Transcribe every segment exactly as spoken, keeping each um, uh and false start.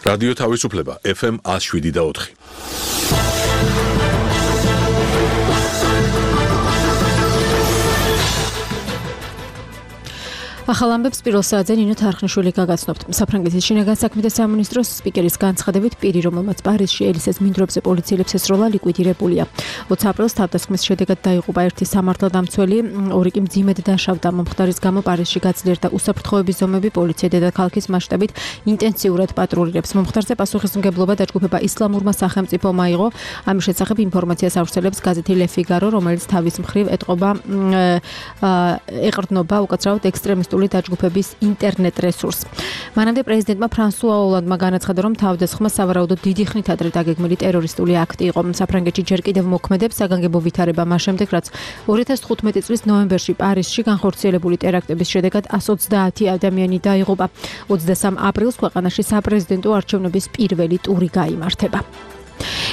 რადიო თავისუფლება ეფ ემ one oh seven და four. ახალ ამბებს პირველ საათზე ნინო თარხნიშვილი გაგაცნობთ. საფრანგეთის შინაგან საქმეთა სამინისტროს სპიკერის განცხადებით პირი, რომელმაც პარიზში ელისეს მინდვრებზე პოლიციელებს ესროლა, ლიკვიდირებულია. ოცი აპრილს თავდასხმის შედეგად დაიღუპა ერთი სამართალდამცველი, ორი კი მძიმედ დაშავდა. მომხდარის გამო პარიზში გაძლიერდა უსაფრთხოების ზომები, პოლიცია დედაქალაქის მასშტაბით ინტენსიურად პატრულირებს. მომხდარზე პასუხისმგებლობა დაჯგუფება ისლამურმა სახელმწიფომ აიღო. ამის შესახებ ინფორმაციას ავრცელებს გაზეთი Le Figaro, რომელიც თავის მხრივ ეტყობა ეყრდნობა უკაცრავად ექსტრემისტული დაჯგუფების ინტერნეტ რესურსს. მანამდე პრეზიდენტმა ფრანსუა ოლანდმა განაცხადა, რომ თავდასხმა სავარაუდოდ დიდი ხნით ადრე დაგეგმილი ტერორისტული აქტი იყო. საფრანგეთში ჯერ კიდევ მოქმედებს საგანგებო ვითარება მას შემდეგ, რაც ორი ათას თხუთმეტი წლის ნოემბერში პარიზში განხორციელებული ტერაქტების შედეგად one hundred twenty ადამიანი დაიღუპა. ოცდასამ აპრილს ქვეყანაში საპრეზიდენტო არჩევნების პირველი ტური გაიმართება.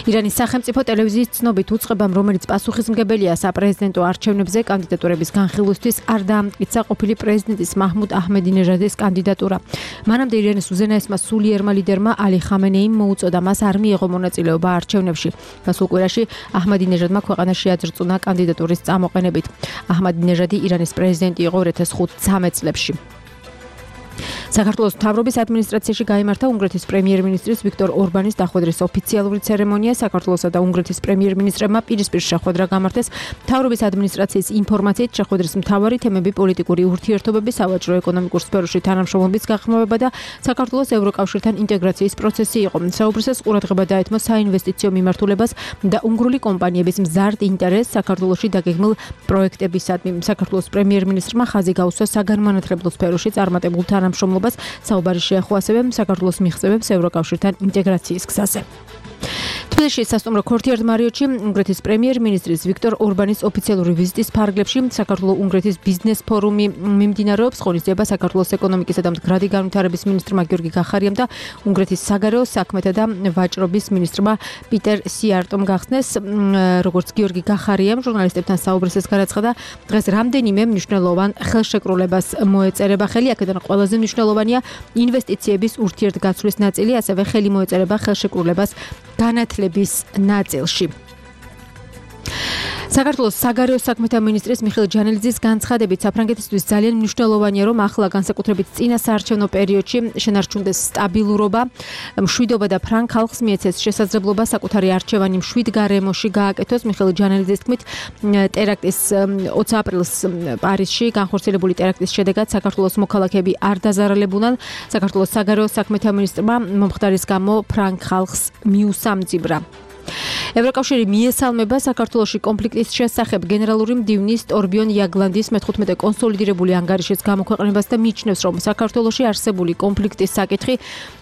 ირანის სახელმწიფო ტელევიზიის ცნობით უწყებამ, რომელიც პასუხისმგებელია საპრეზიდენტო არჩევნებზე კანდიდატურების განხილვისთვის, არ დაამტკიცა ყოფილი პრეზიდენტის მაჰმუდ აჰმედინეჟადის კანდიდატურა. მანამდე ირანის უზენაესმა სულიერმა ლიდერმა ალი ხამენეიმ მოუწოდა მას არ მიიღო მონაწილეობა არჩევნებში. გასულ კვირაში აჰმედინეჟადმა ქვეყანაში აძრწუნა კანდიდატურის წამოყენებით. აჰმედინეჟადი ირანის პრეზიდენტი იყო two thousand thirteen წლებში. საქართველოს მთავრობის ადმინისტრაციაში გაიმართა უნგრეთის პრემიერ-მინისტრის ვიქტორ ორბანის დახვედრის ოფიციალური ცერემონია. საქართველოსა და უნგრეთის პრემიერ-მინისტრებმა პირისპირ შეხვედრა გამართეს. მთავრობის ადმინისტრაციის ინფორმაციით შეხვედრის მთავარი თემები პოლიტიკური ურთიერთობები, სავაჭრო-ეკონომიკურ სფეროში თანამშრომლობის გახმოვება და საქართველოს ევროკავშირთან ინტეგრაციის პროცესი იყო. საუბრისას ყურადღება დაეთმო საინვესტიციო მიმართულებას და უნგრული კომპანიების მზარდ ინტერესს საქართველოში დაგეგმილ პროექტებისადმი. საქართველოს პრემიერ-მინისტრმა ხაზი გაუსვა საგანმანათლებლო სფეროში წარმატებულ თანამშრომლობას. საუბარი შეეხო ასევე საქართველოს მიღწევებს ევროკავშირთან ინტეგრაციის გზაზე. თბილისში სასტუმრო ქორთიარდ მარიოტში უნგრეთის პრემიერ-მინისტრის ვიქტორ ორბანის ოფიციალური ვიზიტის ფარგლებში საქართველო-უნგრეთის ბიზნეს ფორუმი მიმდინარეობს. ღონისძიება საქართველოს ეკონომიკისა და მდგრადი განვითარების მინისტრმა გიორგი გახარიამ და უნგრეთის საგარეო საქმეთა და ვაჭრობის მინისტრმა პიტერ სიარტომ გახსნეს. როგორც გიორგი გახარიამ ჟურნალისტებთან საუბრისას განაცხადა, დღეს რამდენიმე მნიშვნელოვან ხელშეკრულებას მოეწერება ხელი, აქედან ყველაზე მნიშვნელოვანია ინვესტიციების ურთიერთგაცვლის ნაწილი, ასევე ხელი მოეწერება ხელშეკრულებას განათლების ნაწილში. საქართველოს საგარეო საქმეთა მინისტრის მიხეილ ჯანელიძის განცხადებით, საფრანგეთისთვის ძალიან მნიშვნელოვანია, რომ ახლა განსაკუთრებით წინა საარჩევნო პერიოდში შენარჩუნდეს სტაბილურობა, მშვიდობა და ფრანგ ხალხს მიეცეს შესაძლებლობა საკუთარი არჩევანი მშვიდ გარემოში გააკეთოს. მიხეილ ჯანელიძის თქმით, ტერაქტის ოცი აპრილს პარიზში განხორციელებული ტერაქტის შედეგად საქართველოს მოქალაქეები არ დაზარალებულან. საქართველოს საგარეო საქმეთა მინისტრმა მომხდარის გამო ფრანგ ხალხს მიუსამძიბრა. ევროკავშირი მიესალმება საქართველოში კონფლიქტის შესახებ გენერალური მდივნის ტორბიონ იაგლანდის მეთხუთმეტე კონსოლიდირებული ანგარიშის გამოქვეყნებას და მიიჩნევს, რომ საქართველოში არსებული კონფლიქტის საკითხი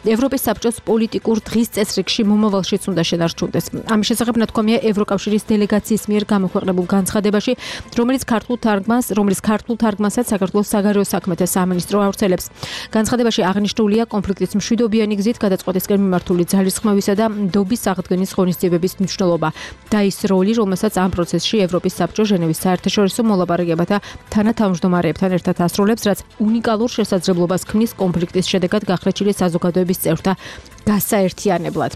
ევროპის საბჭოს პოლიტიკურ დღის წესრიგში მომავალშიც უნდა შენარჩუნდეს. ამის შესახებ ნათქვამია ევროკავშირის დელეგაციის მიერ გამოქვეყნებულ განცხადებაში, რომელიც ქართულ თარგმანს, რომელიც ქართულ თარგმანსაც საქართველოს საგარეო საქმეთა სამინისტრო ავრცელებს. განცხადებაში აღნიშნულია კონფლიქტის მშვიდობიანი გზით გადაწყვეტისკენ მიმართული ძალისხმევისა და ნდობის აღდგენის ღონისძიებების მნიშვნელობა და ის როლი, რომელსაც ამ პროცესში ევროპის საბჭო ჟენევის საერთაშორისო მოლაპარაკებათა თანათავმჯდომარეებთან ერთად ასრულებს, რაც უნიკალურ შესაძლებლობას ქმნის კონფლიქტის შედეგად გახლეჩილი საზოგადოების წევრთა გასაერთიანებლად.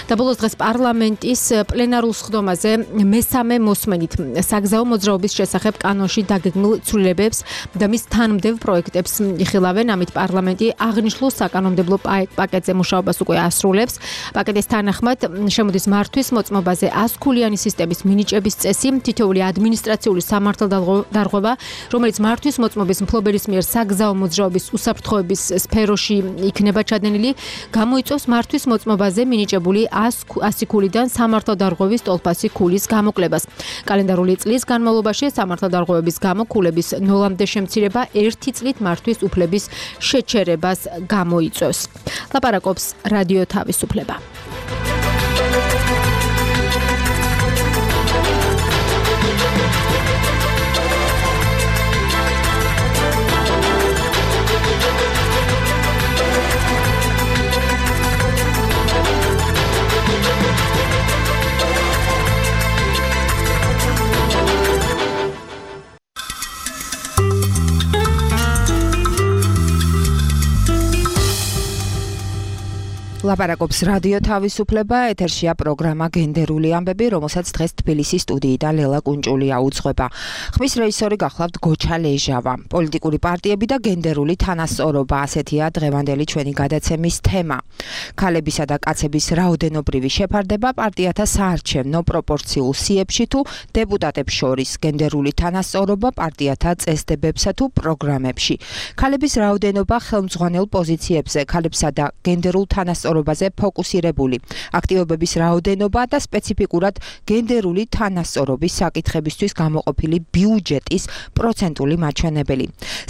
და ბოლოს დღეს პარლამენტის პლენარულ სხდომაზე მესამე მოსმენით საგზაო მოძრაობის შესახებ კანონში დაგეგმილ ცვლილებებს და მის თანმდევ პროექტებს იხილავენ. ამით პარლამენტი აღნიშნულ საკანონმდებლო პაკეტზე მუშაობას უკვე ასრულებს. პაკეტის თანახმად შემოდის მართვის მოწმობაზე one ქულიანი სისტემის მინიჭების წესი, თითოეული ადმინისტრაციული სამართალდარღვევა, რომელიც მართვის მოწმობის მფლობელის მიერ საგზაო მოძრაობის უსაფრთხოების სფეროში იქნება ჩადენილი, გამოიწვევს მართვის მოწმობაზე მინიჭებული one ქულიდან სამართალდარღვევის ტოლფასი ქულის გამოკლებას. კალენდარული წლის განმავლობაში სამართალდარღვევების გამო ქულების ნოლამდე შემცირება ერთი წლით მართვის უფლების შეჩერებას გამოიწვევს. ლაპარაკობს რადიო თავისუფლება. ლაპარაკობს რადიო თავისუფლება, ეთერშია პროგრამა გენდერული ამბები, რომელსაც დღეს თბილისის სტუდიიდან ლელა კუნჭულია უძღვება. ხმის რეჟისორი გახლავთ გოჩა ლეჟავა. პოლიტიკური პარტიები და გენდერული თანასწორობა, ასეთია დღევანდელი ჩვენი გადაცემის თემა. ქალებისა და კაცების რაოდენობრივი შეფარდება პარტიათა საარჩევნო პროპორციულ სიებში თუ დეპუტატებს შორის, გენდერული თანასწორობა პარტიათა წესდებებსა თუ პროგრამებში. ქალების რაოდენობა ხელმძღვანელ პოზიციებზე, ქალებსა და გენდერულ თანასწორობაზე ფოკუსირებული, აქტივობების რაოდენობა და სპეციფიკურად გენდერული თანასწორობის საკითხებისთვის გამოყოფილი ბიუჯეტის პროცენტული მაჩვენებელი.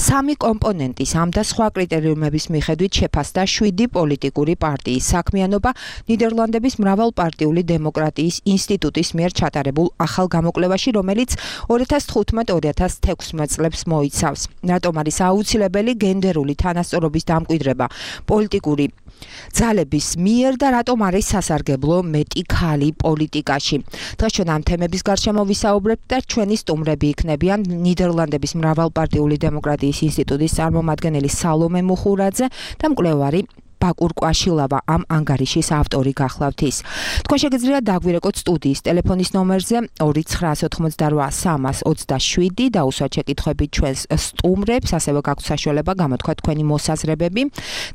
სამი კომპონენტის ამ და სხვა კრიტერიუმების მიხედვით შეფასდა შვიდი პოლიტიკური პარტიის საქმიანობა ნიდერლანდების მრავალპარტიული დემოკრატიის ინსტიტუტის მიერ ჩატარებულ ახალ გამოკვლევაში, რომელიც ორი ათას თხუთმეტ ორი ათას თექვსმეტ წლებს მოიცავს. რატომ არის აუცილებელი გენდერული თანასწორობის დამკვიდრება პოლიტიკური ძალების მიერ და რატომ არის სასარგებლო მეტი ქალი პოლიტიკაში. დღეს ჩვენ ამ თემების გარშემო ვისაუბრებთ და ჩვენი სტუმრები იქნებიან ნიდერლანდების მრავალპარტიული დემოკრატიის ინსტიტუტის წარმომადგენელი სალომე მუხურაძე და მკვლევარი ბაკურ კვაშილავა, ამ ანგარიშის ავტორი გახლავთ ის. თქვენ შეგიძლიათ დაგვირეკოთ სტუდიის ტელეფონის ნომერზე ორი ცხრაას ოთხმოცდარვა სამას ოცდაშვიდი და უსვათ შეკითხვებით ჩვენს სტუმრებს, ასევე გაქვთ საშუალება გამოთქვა თქვენი მოსაზრებები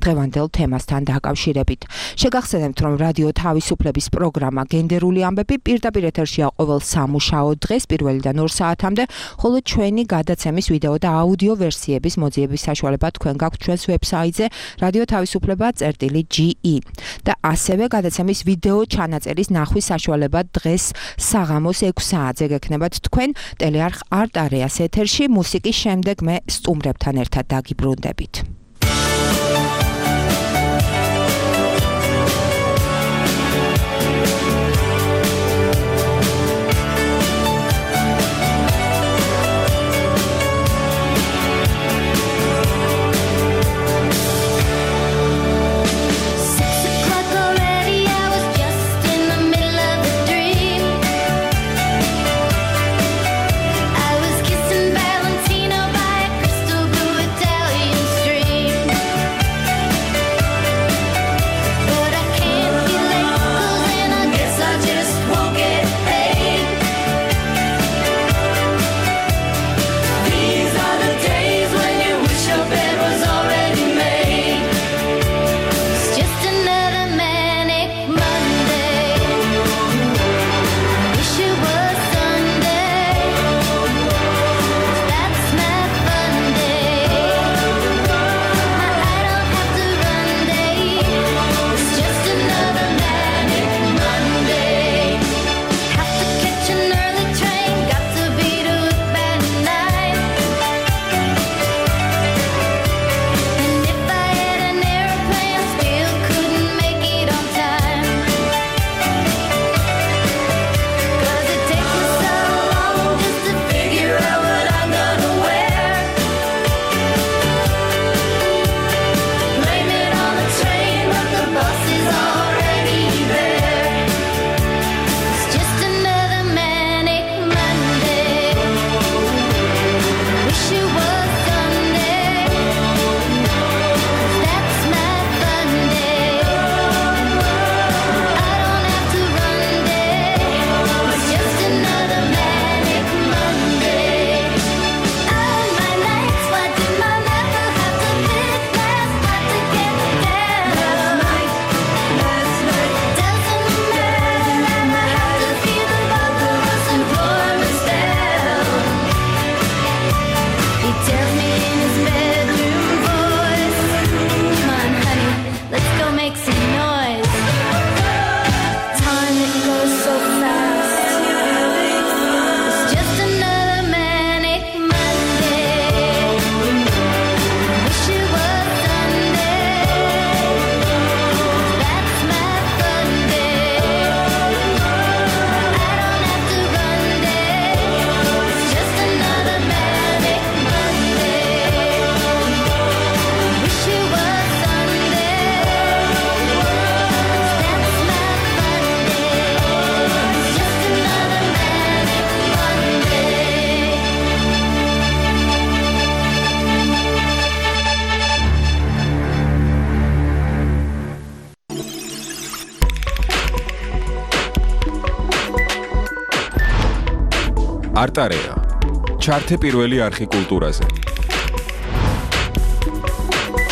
დღევანდელ თემასთან დაკავშირებით. შეგახსენებთ, რომ რადიო თავისუფლების პროგრამა გენდერული ამბები პირდაპირ ეთერშია ყოველ სამუშაო დღეს პირველიდან ორ საათამდე, ხოლო ჩვენი გადაცემის ვიდეო და აუდიო ვერსიების მოძიების საშუალება თქვენ გაქვთ ჩვენს ვებსაიტზე რადიო თავისუფლება წერტილი ჯი ი და ასევე გადაცემის ვიდეო ჩანაწერის ნახვის საშუალება დღეს საღამოს ექვს საათზე გექნებათ თქვენ ტელეარხ არტ-არეას ეთერში. მუსიკის შემდეგ მე სტუმრებთან ერთად დაგიბრუნდებით. Street. არტარეა. ჩართე პირველი არხი კულტურაზე.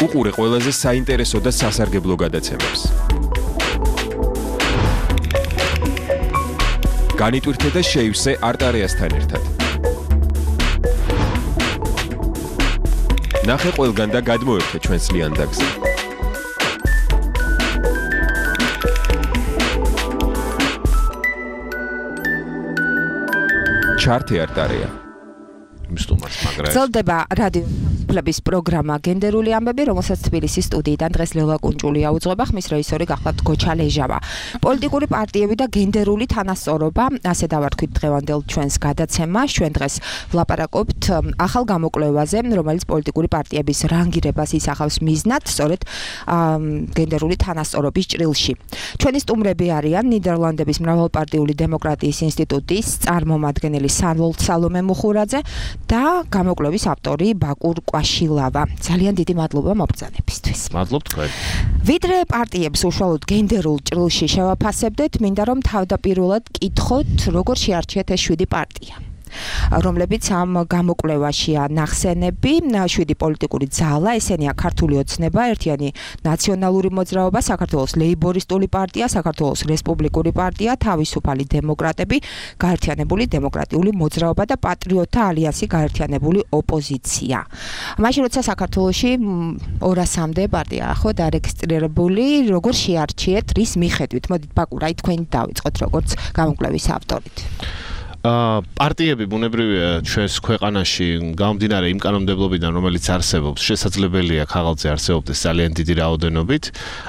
უყურე ყველაზე საინტერესო და სასარგებლო გადაცემებს. განიტვირთე და შეივსე არტარეასთან ერთად. ნახე ყველგან და გადმოერთე ჩვენს ლიანდაგზე. ჩართე არტარეა. მისტუმარს მაგრა. ზოლდება რადიო ფლების პროგრამა გენდერული ამბები, რომელსაც თბილისის სტუდიიდან დღეს ლელა კუნჭულია უძღვება, ხმის რეჟისორი გახლავთ გოჩა ლეჟავა. პოლიტიკური პარტიები და გენდერული თანასწორობა, ასე დავარქვით დღევანდელ ჩვენს გადაცემას. ჩვენ დღეს ვლაპარაკობთ ახალ გამოკვლევაზე, რომელიც პოლიტიკური პარტიების რანგირებას ისახავს მიზნად, სწორედ გენდერული თანასწორობის ჭრილში. ჩვენი სტუმრები არიან ნიდერლანდების მრავალპარტიული დემოკრატიის ინსტიტუტის წარმომადგენელი სალომე მუხურაძე და გამოკვლევის ავტორი ბაკურ კვაშილავა. ძალიან დიდი მადლობა მობრძანებისთვის. მადლობ თქვენ. ვიდრე პარტიებს უშუალოდ გენდერულ ჭრილში შევაფასებდეთ, მინდა რომ თავდაპირველად კითხოთ, როგორ შეარჩიეთ ეს შვიდი პარტია, რომლებიც ამ გამოკვლევაშია ნახსენები, შვიდი პოლიტიკური ძალა, ესენია ქართული ოცნება, ერთიანი ნაციონალური მოძრაობა, საქართველოს ლეიბორისტული პარტია, საქართველოს რესპუბლიკური პარტია, თავისუფალი დემოკრატები, გაერთიანებული დემოკრატიული მოძრაობა და პატრიოტთა ალიანსი, გაერთიანებული ოპოზიცია. მაშინ როცა საქართველოში ორასამდე პარტია ხო დარეგისტრირებული, როგორ შეარჩიეთ, რის მიხედვით? მოდით ბაკურ, აი თქვენ დავიწყოთ როგორც გამოკვლევის ავტორით. აა პარტიები ბუნებრივია ჩვენს ქვეყანაში გამომდინარე იმ კანონმდებლობიდან, რომელიც არსებობს, შესაძლებელია ქაღალდზე არსებობდეს ძალიან დიდი რაოდენობით.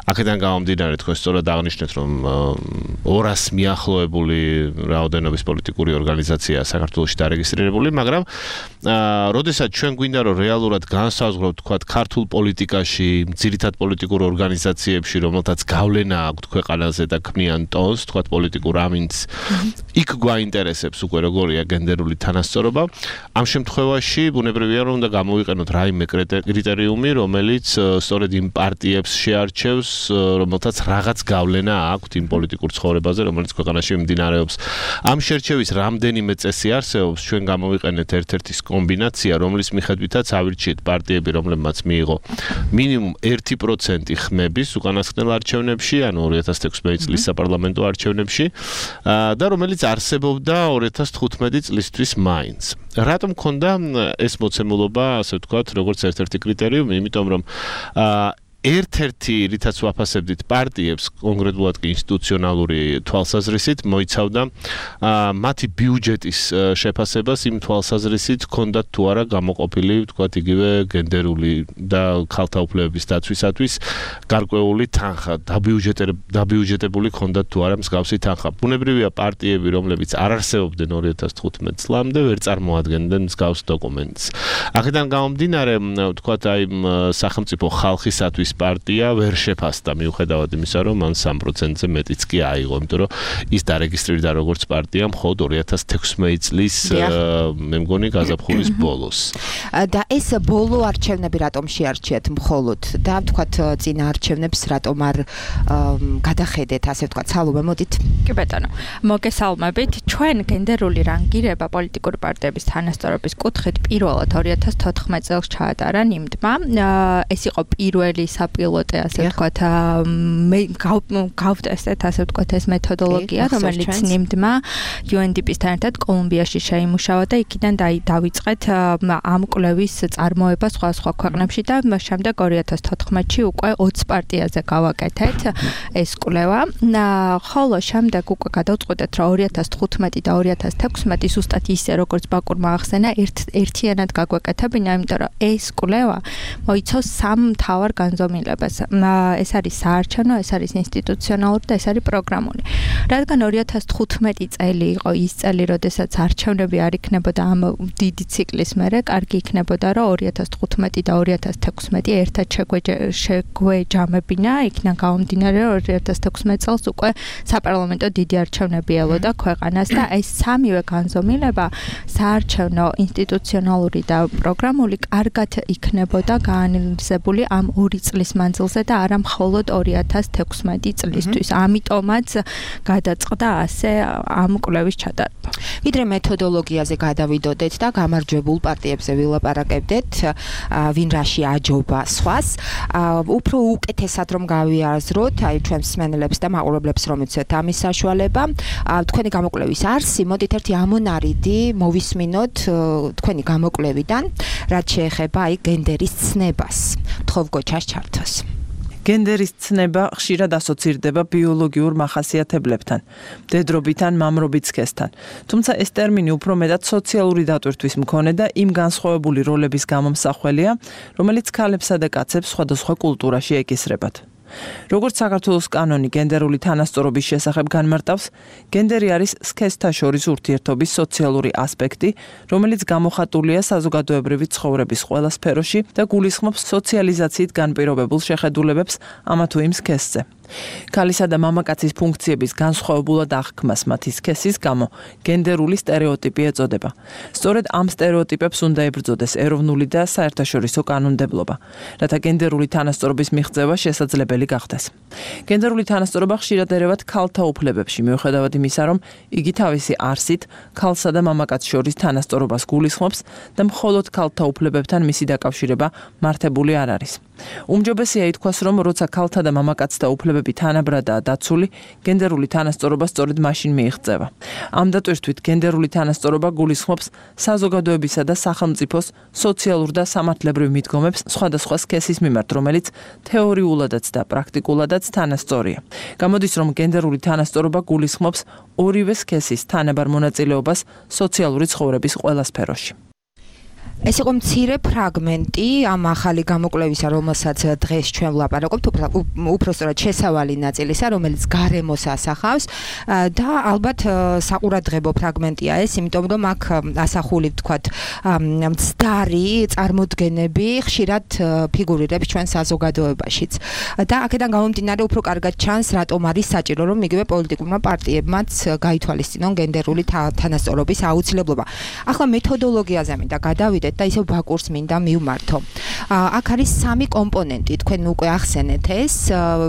აქედან გამომდინარე თქვენ სწორად აღნიშნეთ, რომ ორას მიახლოებული რაოდენობის პოლიტიკური ორგანიზაცია საქართველოში დარეგისტრირებული, მაგრამ აა როდესაც ჩვენ გვინდა რომ რეალურად განსაზღვროთ თქვათ ქართულ პოლიტიკაში, ძირითად პოლიტიკურ ორგანიზაციებში, რომელთაც გავლენა აქვთ ქვეყანაზე და ქმნიან ტონს, თქვათ პოლიტიკურ ამინდს, იქ გვაინტერესებს უკვე როგორია გენდერული თანასწორობა. ამ შემთხვევაში ბუნებრივია რომ უნდა გამოვიყენოთ რაიმე კრიტერიუმი, რომელიც სწორედ იმ პარტიებს შეარჩევს, რომელთაც რაღაც გავლენა აქვთ იმ პოლიტიკურ ცხოვრებაზე, რომელიც ქვეყანაში მიმდინარეობს. ამ შერჩევის რამდენიმე წესი არსებობს, ჩვენ გამოვიყენეთ ერთ-ერთი კომბინაცია, რომლის მიხედვითაც ავირჩიეთ პარტიები, რომლებმაც მიიღო მინიმუმ ერთი პროცენტი ხმების უკანასკნელ არჩევნებში, ანუ ორი ათას თექვსმეტი წლის საპარლამენტო არჩევნებში და რომელიც არსებობდა ორი ათას თხუთმეტი წლისთვის მაინც. რატომ მქონდა ეს მოცემულობა, ასე ვთქვათ, როგორც ერთ-ერთი კრიტერიუმი, იმიტომ რომ აა ერთ-ერთი რითაც ვაფასებდით პარტიებს, კონკრეტულად კი ინსტიტუციონალური თვალსაზრისით, მოიცავდა მათი ბიუჯეტის შეფასებას იმ თვალსაზრისით, ჰქონდათ თუ არა გამოყოფილი, ვთქვათ, იგივე გენდერული და ქალთა უფლებების დაცვისათვის გარკვეული თანხა, დაბიუჯეტებული ჰქონდათ თუ არა მსგავსი თანხა. ბუნებრივია პარტიები, რომლებიც არ არსებობდნენ ორი ათას თხუთმეტ წლამდე, ვერ წარმოადგენდნენ მსგავს დოკუმენტს. აქედან გამომდინარე, ვთქვათ, აი სახელმწიფო ხალხისათვის პარტია ვერ შეფასდა მიუხედავად იმისა, რომ მან სამი პროცენტზე მეტიც კი აიღო, იმიტომ რომ ის დარეგისტრირდა როგორც პარტია მხოლოდ ორი ათას თექვსმეტი წლის მე მგონი გაზაფხულის ბოლოს. და ეს ბოლო არჩევნები რატომ შეარჩიეთ მხოლოდ და ვთქვათ წინა არჩევნებს რატომ არ გადახედეთ, ასე ვთქვათ, სალომე მოდით. კი ბატონო, მოგესალმებით. ჩვენ გენდერული რანგირება პოლიტიკური პარტიების თანასწორობის კუთხით პირველად ორი ათას თოთხმეტ წელს ჩაატარა ნიმდმა. ეს იყო პირველი საპილოტე, ასე ვთქვათ, მე გავტესტეთ, ასე ვთქვათ, ეს მეთოდოლოგია, რომელიც ნიმდმა იუ ენ დი პი-სთან ერთად კოლუმბიაში შეიმუშავა და იქიდან დავიწყეთ ამ კვლევის წარმოება სხვა სხვა ქვეყნებში და შემდეგ ორი ათას თოთხმეტში უკვე ოცი პარტიაზე გავაკეთეთ ეს კვლევა. ხოლო შემდეგ უკვე გადავწყვეტეთ, რომ ორი ათას თხუთმეტი და ორი ათას თექვსმეტი ზუსტად ისე, როგორც ბაკურმა ახსენა, ერთიანად გაგვეკეთებინა, იმიტომ რომ ეს კვლევა მოიცავს სამ მთავარ განზომილებას. ეს არის საარჩევნო, ეს არის ინსტიტუციონალური და ეს არის პროგრამული. რადგან ორი ათას თხუთმეტი წელი იყო ის წელი, როდესაც არჩევნები არ იქნებოდა ამ დიდი ციკლის მერე, კარგი იქნებოდა, რომ ორი ათას თხუთმეტი და ორი ათას თექვსმეტი ერთად შეგვეჯამებინა, იქიდან გამომდინარე, რომ ორი ათას თექვსმეტი წელს უკვე საპარლამენტო დიდი არჩევნები ელოდა ქვეყანას და ეს სამივე განზომილება, საარჩევნო, ინსტიტუციონალური და პროგრამული, კარგად იქნებოდა გაანალიზებული ამ ორი წლის წლის მანძილზე და არა მხოლოდ ორი ათას თექვსმეტი წლისთვის. ამიტომაც გადაწყდა ასე ამ კვლევის ჩატარება. ვიდრე მეთოდოლოგიაზე გადავიდოდეთ და გამარჯვებულ პარტიებზე ვილაპარაკებდეთ, ვინ რაში აჯობა სხვას, უფრო უკეთესად რომ გავიაზროთ, აი ჩვენს მსმენელებს და მაყურებლებს რომ იცოდეთ ამის საშუალება, თქვენი გამოკვლევის არსი, მოდით ერთი ამონარიდი მოვისმინოთ თქვენი გამოკვლევიდან, რაც შეეხება აი გენდერის ცნებას. თხოვ გოჩას ჩართოს. გენდერის ცნება ხშირად ასოცირდება ბიოლოგიურ მახასიათებლებთან, მდედრობით ან მამრობით სქესთან. თუმცა ეს ტერმინი უფრო მეტად სოციალური დატვირთვის მქონე და იმ განსხვავებული როლების გამომსახველია, რომელიც ქალებსა და კაცებს სხვადასხვა კულტურაში ეკისრებათ. როგორც საქართველოს კანონი გენდერული თანასწორობის შესახებ განმარტავს, გენდერი არის სქესთა შორის ურთიერთობის სოციალური ასპექტი, რომელიც გამოხატულია საზოგადოებრივი ცხოვრების ყველა სფეროში და გულისხმობს სოციალიზაციით განპირობებულ შეხედულებებს ამა თუ იმ სქესზე. ქალისა და მამაკაცის ფუნქციების განსხვავებულად აღქმას მათი სქესის გამო გენდერული სტერეოტიპი ეწოდება. სწორედ ამ სტერეოტიპებს უნდა ებრძოდეს ეროვნული და საერთაშორისო კანონმდებლობა, რათა გენდერული თანასწორობის მიღწევა შესაძლებელი გახდეს. გენდერული თანასწორობა ხშირად ერევათ ქალთა უფლებებში, მიუხედავად იმისა, რომ იგი თავისი არსით ქალსა და მამაკაცს შორის თანასწორობას გულისხმობს და მხოლოდ ქალთა უფლებებთან მისი დაკავშირება მართებული არ არის. უმჯობესია ითქვას, რომ როცა ქალთა და მამაკაცთა უფლებები თანაბრადაა დაცული, გენდერული თანასწორობა სწორედ მაშინ მიიღწევა. ამ დატვირთვით გენდერული თანასწორობა გულისხმობს საზოგადოებისა და სახელმწიფოს სოციალურ და სამართლებრივ მიდგომებს სხვადასხვა სქესის მიმართ, რომელიც თეორიულადაც და პრაქტიკულადაც თანასწორია. გამოდის, რომ გენდერული თანასწორობა გულისხმობს ორივე სქესის თანაბარ მონაწილეობას სოციალური ცხოვრების ყველა სფეროში. ეს იყო მცირე ფრაგმენტი ამ ახალი გამოკვლევისა, რომელსაც დღეს ჩვენ ვლაპარაკობთ, უფრო სწორად შესავალი ნაწილისა, რომელიც გარემოს ასახავს და ალბათ საყურადღებო ფრაგმენტია ეს, იმიტომ რომ აქ ასახული ვთქვათ მცდარი წარმოდგენები ხშირად ფიგურირებს ჩვენ საზოგადოებაშიც. და აქედან გამომდინარე უფრო კარგად ჩანს, რატომ არის საჭირო, რომ იგივე პოლიტიკურმა პარტიებმაც გაითვალისწინონ გენდერული თანასწორობის აუცილებლობა. ახლა მეთოდოლოგიაზე მინდა გადავიდეთ და ისევ ბაკურს მინდა მივმართო. აქ არის სამი კომპონენტი, თქვენ უკვე ახსენეთ ეს,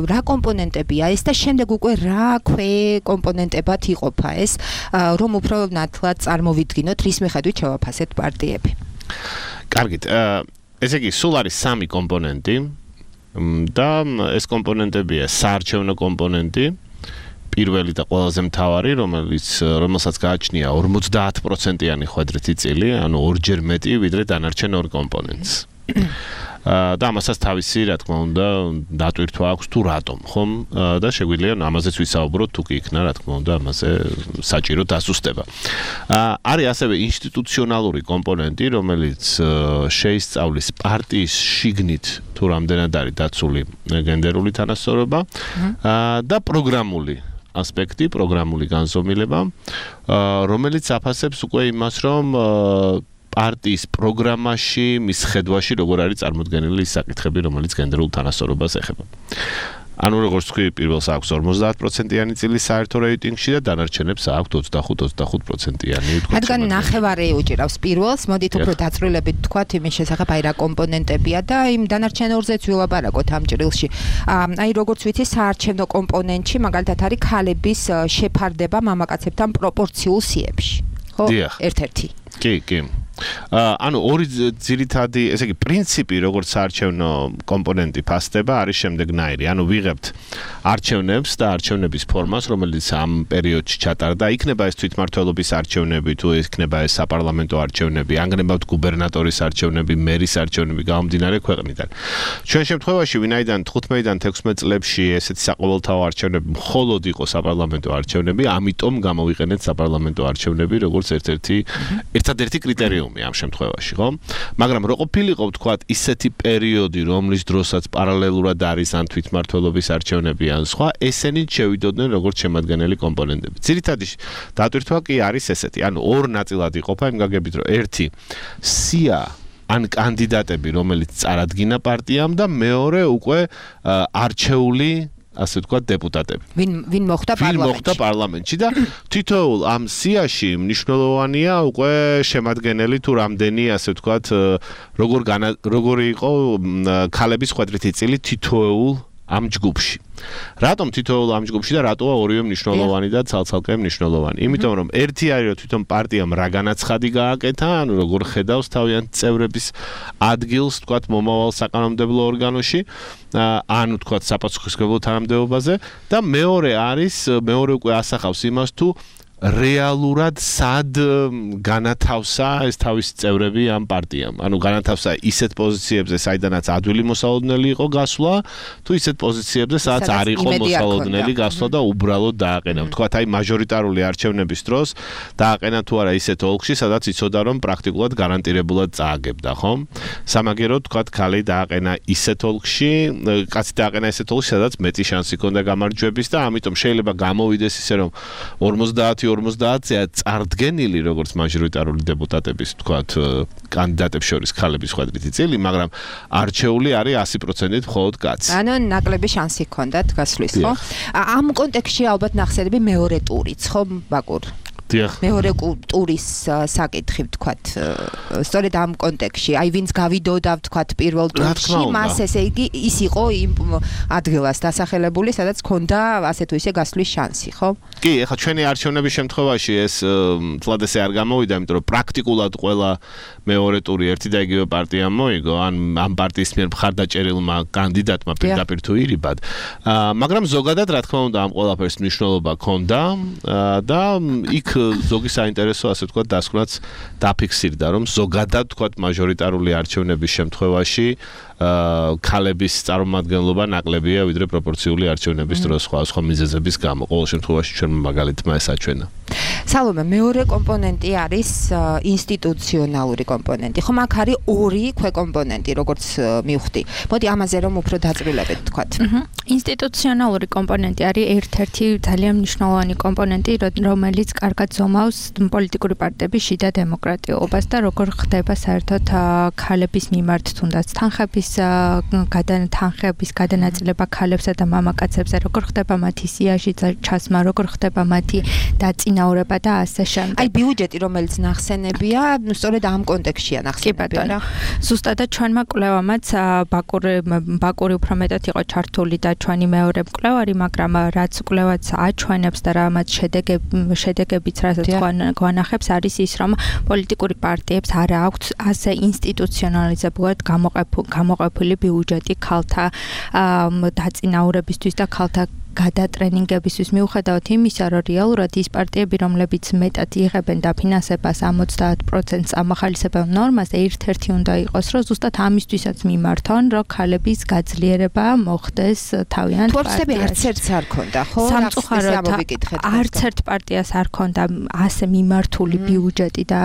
რა კომპონენტებია ეს და შემდეგ უკვე რა ქვე კომპონენტებად იყოფა ეს, რომ უფრო ნათლად წარმოვიდგინოთ, რის მიხედვით შევაფასეთ პარტიები. კარგით, ესე იგი, სულ არის სამი კომპონენტი და ეს კომპონენტებია საარჩევნო კომპონენტი, პირველი და ყველაზე მთავარი, რომელიც რომელსაც გააჩნია ორმოცდაათ პროცენტიანი ხვედრითი წილი, ანუ ორჯერ მეტი ვიდრე დანარჩენ ორ კომპონენტს. და ამასაც თავისი, რა თქმა უნდა, დატვირთვა აქვს თუ რატომ, ხომ? და შეგვიძლია ამაზეც ვისაუბროთ, თუ კი იქნა, რა თქმა უნდა, ამაზე საჭირო დასუსტება. არის ასევე ინსტიტუციონალური კომპონენტი, რომელიც შეისწავლის პარტიის შიგნით თუ რამდენად არის დაცული გენდერული თანასწორობა და პროგრამული ასპექტი, პროგრამული განზომილება, რომელიც აფასებს უკვე იმას, რომ პარტიის პროგრამაში, მის ხედვაში როგორ არის წარმოდგენილი ის საკითხები, რომელიც გენდერულ თანასწორობას ეხება. ანუ როგორც თქვი, პირველს აქვს ორმოცდაათ პროცენტიანი წილი საერთო რეიტინგში და დანარჩენებს აქვს ოცდახუთ ოცდახუთ პროცენტიანი. რადგან ნახევარი უჭირავს პირველს, მოდით უფრო დაწვრილებით თქვათ იმის შესახებ, აი რა კომპონენტებია და იმ დანარჩენ ორზეც ვილაპარაკოთ ამ ჭრილში. აი როგორც ვიცი, საარჩევნო კომპონენტში მაგალითად არის ქალების შეფარდება მამაკაცებთან პროპორციულ სიებში. ხო? ერთ-ერთი. კი, კი. ანუ ორი ძირითადი, ესე იგი, პრინციპი, როგორც საარჩევნო კომპონენტი ფასდება, არის შემდეგნაირი. ანუ ვიღებთ არჩევნებს და არჩევნების ფორმას, რომელიც ამ პერიოდში ჩატარდა. იქნება ეს თვითმმართველობის არჩევნები, თუ იქნება ეს საპარლამენტო არჩევნები, ანგნებავთ გუბერნატორის არჩევნები, მერის არჩევნები, გამომდინარე ქვეყნიდან. ჩვენ შემთხვევაში, ვინაიდან თხუთმეტიდან თექვსმეტ წლებში ესეთი საყოველთაო არჩევნები მხოლოდ იყო საპარლამენტო არჩევნები, ამიტომ გამოვიყენეთ საპარლამენტო არჩევნები, როგორც ერთ-ერთი ერთადერთი კრიტერიუმი ამ შემთხვევაში, ხო? მაგრამ რო ყოფილიყო, ვთქვათ, ისეთი პერიოდი, რომლის დროსაც პარალელურად არის ან თვითმმართველობის არჩევნები ან სხვა, ესენი შევიდოდნენ როგორც შემადგენელი კომპონენტები. ძირითადი დატვირთვა კი არის ესეთი, ანუ ორ ნაწილად იყოფა იმ გაგებით, რომ ერთი სია ან კანდიდატები, რომელიც წარადგინა პარტიამ და მეორე უკვე არჩეული ასე ვთქვათ, დეპუტატები. ვინ ვინ მოხდა პარლამენტში? ვინ მოხდა პარლამენტში და თითოეულ ამ სიაში მნიშვნელოვანია უკვე შემადგენელი თუ რამდენი, ასე ვთქვათ, როგორ როგორი იყო ქალების ხვედრითი წილი თითოეულ ამ ჯგუფში. რატომ თითოეულ ამ ჯგუფში და რატოა ორივე მნიშვნელოვანი და ცალ-ცალკე მნიშვნელოვანი? იმიტომ რომ ერთი არის რომ თვითონ პარტიამ რა განაცხადი გააკეთა, ანუ როგორ ხედავს თავიანთ წევრების ადგილს, თქვათ, მომავალ საკანონმდებლო ორგანოში, ანუ თქვათ, საპასუხისმგებლო თანამდებობაზე და მეორე არის, მეორე უკვე ასახავს იმას თუ რეალურად სად განათავსა ეს თავის წევრები ამ პარტიამ. ანუ განათავსა ისეთ პოზიციებზე, საიდანაც ადვილი მოსალოდნელი იყო გასვლა, თუ ისეთ პოზიციებზე, სადაც არ იყო მოსალოდნელი გასვლა და უბრალოდ დააყენა. თქვათ, აი მაჟორიტარული არჩევნების დროს დააყენა თუ არა ისეთ ოლქში, სადაც იცოდა რომ პრაქტიკულად გარანტირებულად წააგებდა, ხო? სამაგეროდ თქვათ, ქალი დააყენა ისეთ ოლქში, კაცი დააყენა ისეთ ოლქში, სადაც მეტი შანსი ჰქონდა გამარჯვების და ამიტომ შეიძლება გამოვიდეს ისე რომ ორმოცდაათი ორმოცდაათია წარდგენილი როგორც მაჟორიტარული დეპუტატების თქვათ კანდიდატებს შორის ქალების ხვედრითი წილი, მაგრამ არჩეული არის ასი პროცენტით მხოლოდ კაცი. ანუ ნაკლები შანსი ჰქონდათ გასვლის, ხო? ამ კონტექსტში ალბათ ნახსენები მეორე ტურიც, ხო, ბაკურ? მეორე ტურის საკითხი ვთქვათ, სწორედ ამ კონტექსტში, აი ვინც გავიდოდა ვთქვათ პირველ ტურში, მას ესე იგი ის იყო იმ ადგილას დასახელებული, სადაც ჰქონდა ასე თუ ისე გასვლის შანსი, ხო? კი, ეხლა ჩვენი არჩევნების შემთხვევაში ეს თლად ესე არ გამოვიდა, იმიტომ რომ პრაქტიკულად ყველა მეორე ტური ერთი და იგივე პარტიამ მოიგო, ან ამ პარტიის მიერ მხარდაჭერილმა კანდიდატმა პირდაპირ თუ ირიბად. მაგრამ ზოგადად, რა თქმა უნდა, ამ ყველაფერს მნიშვნელობა ჰქონდა და იქ ზოგი საინტერესო, ასე ვთქვათ, დასკვნაც დაფიქსირდა, რომ ზოგადად, ვთქვათ, მაჟორიტარული არჩევნების შემთხვევაში ქალების წარმომადგენლობა ნაკლებია ვიდრე პროპორციული არჩევნების დროს სხვა სხვა მიზეზების გამო. ყოველ შემთხვევაში ჩვენ მაგალითმა ეს აჩვენა. სალომე, მეორე კომპონენტი არის ინსტიტუციონალური კომპონენტი. ხო, მაგ არის ორი ქვეკომპონენტი, როგორც მივხვდი. მოდი ამაზე რომ უფრო დაწვრილებეთ, ვთქვათ. ინსტიტუციონალური კომპონენტი არის ერთ-ერთი ძალიან მნიშვნელოვანი კომპონენტი, რომელიც კარგად ზომავს პოლიტიკური პარტიების შიდა დემოკრატიობას და როგორ ხდება საერთოდ ქალების მიმართ თუნდაც თანხების თანხების გადანაწილება ქალებსა და მამაკაცებზე, როგორ ხდება მათი სიაში ჩასმა, როგორ ხდება მათი დაწინაურება და ასე შემდეგ. აი ბიუჯეტი, რომელიც ნახსენებია, სწორედ ამ კონტექსტშია ნახსენებია რა. ზუსტადად ჩვენმა კვლევამაც ბაკური ბაკური უფრო მეტად იყო ჩართული და ჩვენი მეორე მკვლევარი, მაგრამ რაც კვლევაც აჩვენებს და რამაც შედეგები შედეგებიც რასაც გვანახებს არის ის, რომ პოლიტიკური პარტიებს არ აქვთ ასე ინსტიტუციონალიზებულად გამოყოფილი ბიუჯეტი ქალთა დაწინაურებისთვის და ქალთა გადატრენინგებისთვის, მიუხედავად იმისა, რომ რეალურად ის პარტიები, რომლებიც მეტად იღებენ დაფინანსებას ოცდაათ პროცენტს ამახალისებელ ნორმას, ერთ-ერთი უნდა იყოს, რომ ზუსტად ამისთვისაც მიმართონ, რომ ქალების გაძლიერება მოხდეს თავიანთ პარტიაში. არც ერთს არ ქონდა, ხო? სამწუხაროდ არც ერთ პარტიას არ ქონდა ასე მიმართული ბიუჯეტი და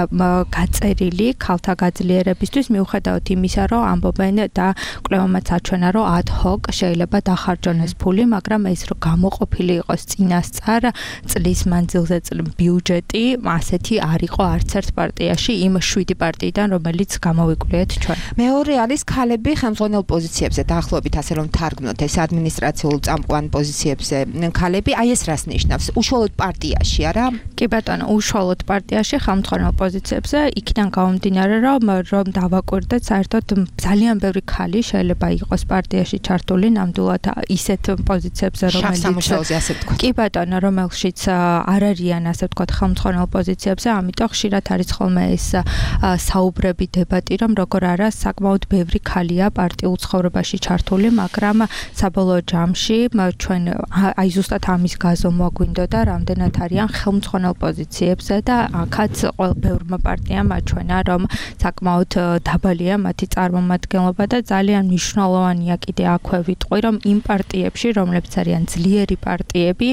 გაწერილი ქალთა გაძლიერებისთვის, მიუხედავად იმისა, რომ ამბობენ და კვლევამაც აჩვენა, რომ ad hoc შეიძლება დახარჯონ ეს ფული, მაგრამ ეს გამოყოფილი იყოს წინასწარ წლის მანძილზე ბიუჯეტი, ასეთი არ იყო არც ერთ პარტიაში იმ შვიდი პარტიიდან, რომელიც გამოვიკვლიეთ ჩვენ. მეორე არის ქალები ხელმძღვანელ პოზიციებზე, დაახლოებით ასე რომ თარგმნოთ ეს ადმინისტრაციულ წამყვან პოზიციებზე ქალები, აი ეს რას ნიშნავს? უშუალოდ პარტიაში, არა? კი ბატონო, უშუალოდ პარტიაში ხელმძღვანელ პოზიციებზე, იქიდან გამომდინარე, რომ რომ დავაკვირდეთ, საერთოდ ძალიან ბევრი ქალი შეიძლება იყოს პარტიაში ჩართული, ნამდვილად ისეთ პოზიციებზე, რომ სამუშაოზე ასე ვთქვათ. კი ბატონო, რომელშიც არ არიან ასე ვთქვათ ხელმძღვანელ პოზიციებზე, ამიტომ ხშირად არის ხოლმე ეს საუბრები, დებატი, რომ როგორ არა საკმაოდ ბევრი ქალია პარტიულ ცხოვრებაში ჩართული, მაგრამ საბოლოო ჯამში ჩვენ აი ზუსტად ამის გაზომვა გვინდოდა, რამდენად არიან ხელმძღვანელ პოზიციებზე და აქაც ბევრმა პარტიამ აჩვენა, რომ საკმაოდ დაბალია მათი წარმომადგენლობა და ძალიან მნიშვნელოვანია კიდე აქვე ვიტყვი, რომ იმ პარტიებში, რომლებიც არიან ძლიერი პარტიები,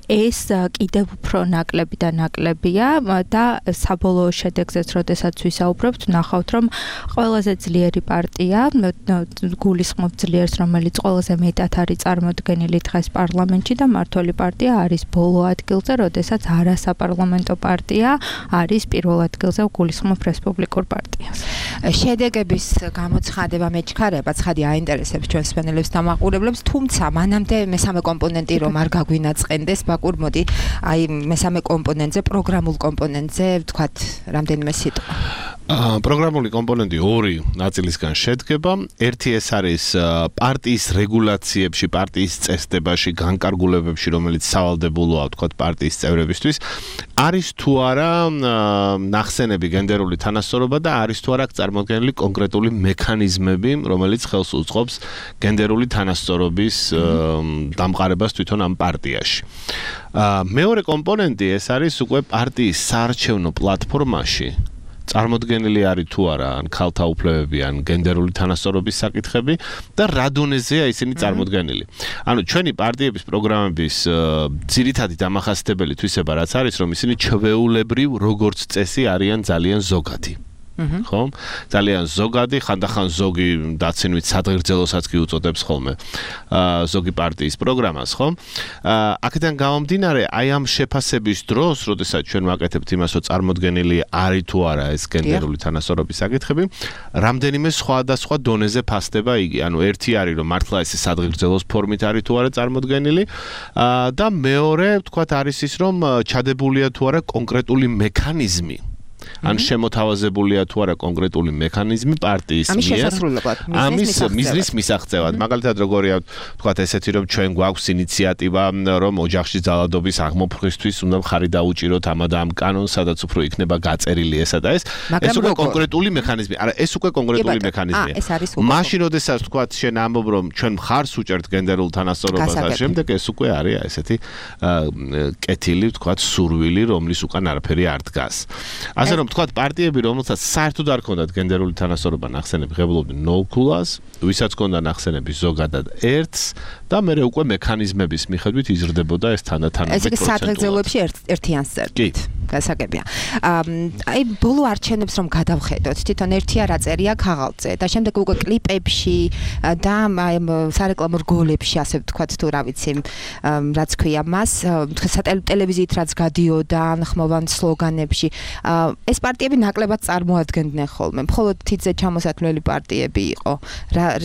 ეს კიდევ უფრო ნაკლები და ნაკლებია და საბოლოო შედეგზეც, როდესაც ვისაუბრებთ, ნახავთ, რომ ყველაზე ძლიერი პარტია, გულისხმობ ძლიერს, რომელიც ყველაზე მეტად არის წარმოდგენილი დღეს პარლამენტში და მმართველი პარტია არის ბოლო ადგილზე, როდესაც არასაპარლამენტო პარტია არის პირველ ადგილზე, გულისხმობ რესპუბლიკურ პარტიას. შედეგების გამოცხადება მეჩქარება, ცხადი აინტერესებს ჩვენს მსმენელებს და მაყურებლებს, თუმცა მანამდე მესამე კომპონენტი რომ არ გაგვინაწყენდეს, ბაკურ, მოდი, აი მესამე კომპონენტზე, პროგრამულ კომპონენტზე, ვთქვათ, რამდენიმე სიტყვა. პროგრამული კომპონენტი ორი ნაწილისგან შედგება. ერთი ეს არის პარტიის რეგულაციებში, პარტიის წესდებაში, განკარგულებებში, რომელიც სავალდებულოა, ვთქვათ, პარტიის წევრებისთვის. არის თუ არა ნახსენები გენდერული თანასწორობა და არის თუ არა წარმოქმნილი კონკრეტული მექანიზმები, რომელიც ხელს უწყობს გენდერული თანასწორობის დამყარებას თვითონ ამ პარტიაში. მეორე კომპონენტი ეს არის უკვე პარტიის საარჩევნო პლატფორმაში წარმოდგენილი არის თუ არა ან ქალთა უფლებები ან გენდერული თანასწორობის საკითხები და რა დონეზეა ისინი წარმოდგენილი. ანუ ჩვენი პარტიების პროგრამების ძირითადი დამახასიათებელი თვისება რაც არის, რომ ისინი ჩვეულებრივ როგორც წესი არიან ძალიან ზოგადი. ხო? ძალიან ზოგადი, ხანდახან ზოგი დაცინვით სადღერძელოსაც კი უწოდებს ხოლმე ზოგი პარტიის პროგრამას, ხო? აქედან გამომდინარე, აი ამ შეფასების დროს, როდესაც ჩვენ ვაკეთებთ იმას, რომ წარმოდგენილი არის თუ არა ეს გენდერული თანასწორობის საკითხები, რამდენიმე სხვადასხვა დონეზე ფასდება იგი. ანუ ერთი არის, რომ მართლა ეს სადღერძელოს ფორმით არის თუ არა წარმოდგენილი და მეორე, ვთქვათ, არის ის, რომ ჩადებულია თუ არა კონკრეტული მექანიზმი. ან შემოთავაზებულია თუ არა კონკრეტული მექანიზმი პარტიის მიერ ამის მიზნის მისაღწევად. მაგალითად როგორია თქვათ ესეთი რომ ჩვენ გვაქვს ინიციატივა რომ ოჯახში ძალადობის აღმოფხვრისთვის უნდა მხარი დაუჭიროთ ამ და ამ კანონს, სადაც უფრო იქნება გაწერილი ესა და ეს. ეს უკვე კონკრეტული მექანიზმი. არა, ეს უკვე კონკრეტული მექანიზმია. მაშინ როდესაც თქვათ შენ ამბობ რომ ჩვენ მხარს უჭერთ გენდერულ თანასწორობას და შემდეგ ეს უკვე არის ესეთი კეთილი თქვათ სურვილი, რომლის უკან არაფერი არ დგას. ასე რომ თქვათ პარტიები, რომელსაც საერთოდ არ ქონდათ გენდერული თანასწორობა ნახსენები, ღებულობდნენ ნულ ქულას, ვისაც ქონდა ნახსენები ზოგადად ერთს და მერე უკვე მექანიზმების მიხედვით იზრდებოდა ეს თანდათანობით პროცენტულად. ეს სადღერძელოებში ერთიანს წერდით. გასაგებია. აი ბოლო არჩევნებს რომ გადავხედოთ, თვითონ ერთია რა წერია ქაღალდზე და შემდეგ უკვე კლიპებში და აი სარეკლამო რგოლებში, ასე ვთქვათ, თუ რა ვიცი, რაც ქვია მას, ტელევიზიით რაც გადიოდა, ხმოვან სლოგანებში, ეს პარტიები ნაკლებად წარმოადგენდნენ ხოლმე. მხოლოდ თითზე ჩამოსათვლელი პარტიები იყო,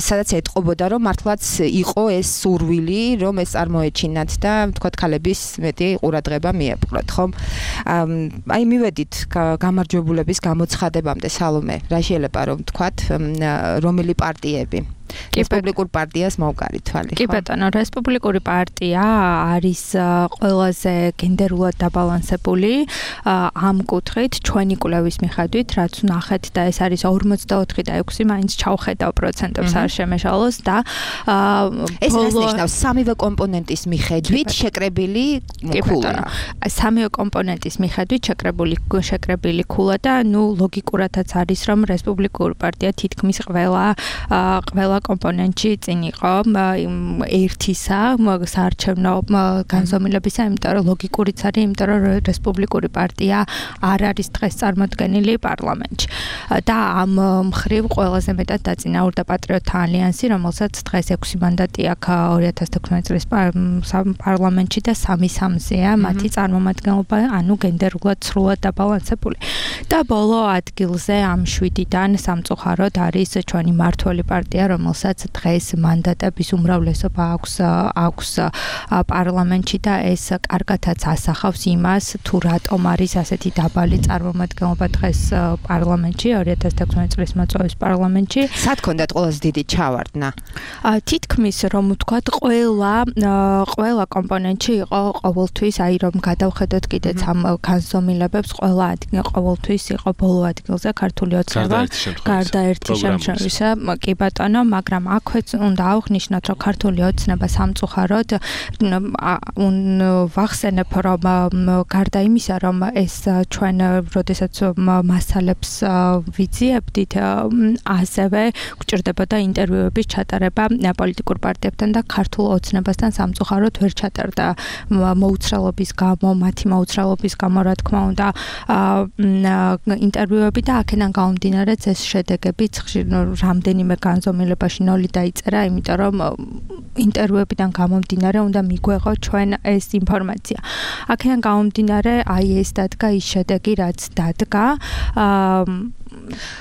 სადაც ეტყობოდა, რომ მართლაც იყო ეს სურვილი, რომ ეს წარმოეჩინათ და ვთქვათ, ქალების მეტი ყურადღება მიეპყროთ, ხომ? აი მივედით გამარჯვებულების გამოცხადებამდე, სალომე, რა შეიძლება რომ ვთქვათ, რომელი პარტიები? რესპუბლიკურ პარტიას მოვკარით თვალი, ხო? კი ბატონო, რესპუბლიკური პარტია არის ყველაზე გენდერულად დაბალანსებული ამ კუთხით, ჩვენი კვლევის მიხედვით, რაც ვნახეთ და ეს არის ორმოცდაოთხი და ექვსი, მაინც ჩავხედავ პროცენტებს არ შემეშალოს და ეს რას ნიშნავს? სამივე კომპონენტის მიხედვით შეკრებილი ქულა. სამივე კომპონენტის მიხედვით შეკრებული შეკრებილი ქულა და ნუ ლოგიკურადაც არის, რომ რესპუბლიკური პარტია თითქმის ყველა ყველა კომპონენტში წინ იყო ერთისა საარჩევნო განზომილებისა, იმიტომ რომ ლოგიკურიც არის, იმიტომ რომ რესპუბლიკური პარტია არ არის დღეს წარმოდგენილი პარლამენტში. და ამ მხრივ ყველაზე მეტად დაწინაურდა პატრიოტთა ალიანსი, რომელსაც დღეს ექვსი მანდატი აქვს ორი ათას თექვსმეტი წლის პარლამენტში და სამი სამზეა მათი წარმომადგენლობა, ანუ გენდერულად სრულად დაბალანსებული. და ბოლო ადგილზე ამ შვიდიდან სამწუხაროდ არის ჩვენი მართველი პარტია, რომელსაც დღეს მანდატების უმრავლესობა აქვს აქვს პარლამენტში და ეს კარგათაც ასახავს იმას, თუ რატომ არის ასეთი დაბალი წარმომადგენლობა დღეს პარლამენტში, ორი ათას თექვსმეტი წლის მოწვევის პარლამენტში. სად ქონდათ ყველაზე დიდი ჩავარდნა? თითქმის რომ ვთქვათ, ყველა ყველა კომპონენტში იყო ყოველთვის, აი რომ გადავხედოთ კიდეც ამ განზომილებებს, ყველა ადგილ ყოველთვის იყო ბოლო ადგილზე ქართული ოცნება, გარდა ერთი შემთხვევისა, კი ბატონო, მაგრამ აქვეც უნდა ავხნიშნოთ, რომ ქართული ოცნება სამწუხაროდ ვახსენებ, რომ გარდა იმისა, რომ ეს ჩვენ როდესაც მასალებს ვიძიებდით, ასევე გვჭირდებოდა ინტერვიუების ჩატარება პოლიტიკურ პარტიებთან და ქართულ ოცნებასთან სამწუხაროდ ვერ ჩატარდა მოუცრელობის გამო, მათი მოუცრელობის გამო, რა თქმა უნდა, ინტერვიუები და აქედან გამომდინარეც ეს შედეგებიც რამდენიმე განზომილებაში ნოლი დაიწერა, იმიტომ რომ ინტერვიუებიდან გამომდინარე უნდა მიგვეღო ჩვენ ეს ინფორმაცია. აქედან გამომდინარე, აი ეს დადგა ის შედეგი, რაც დადგა.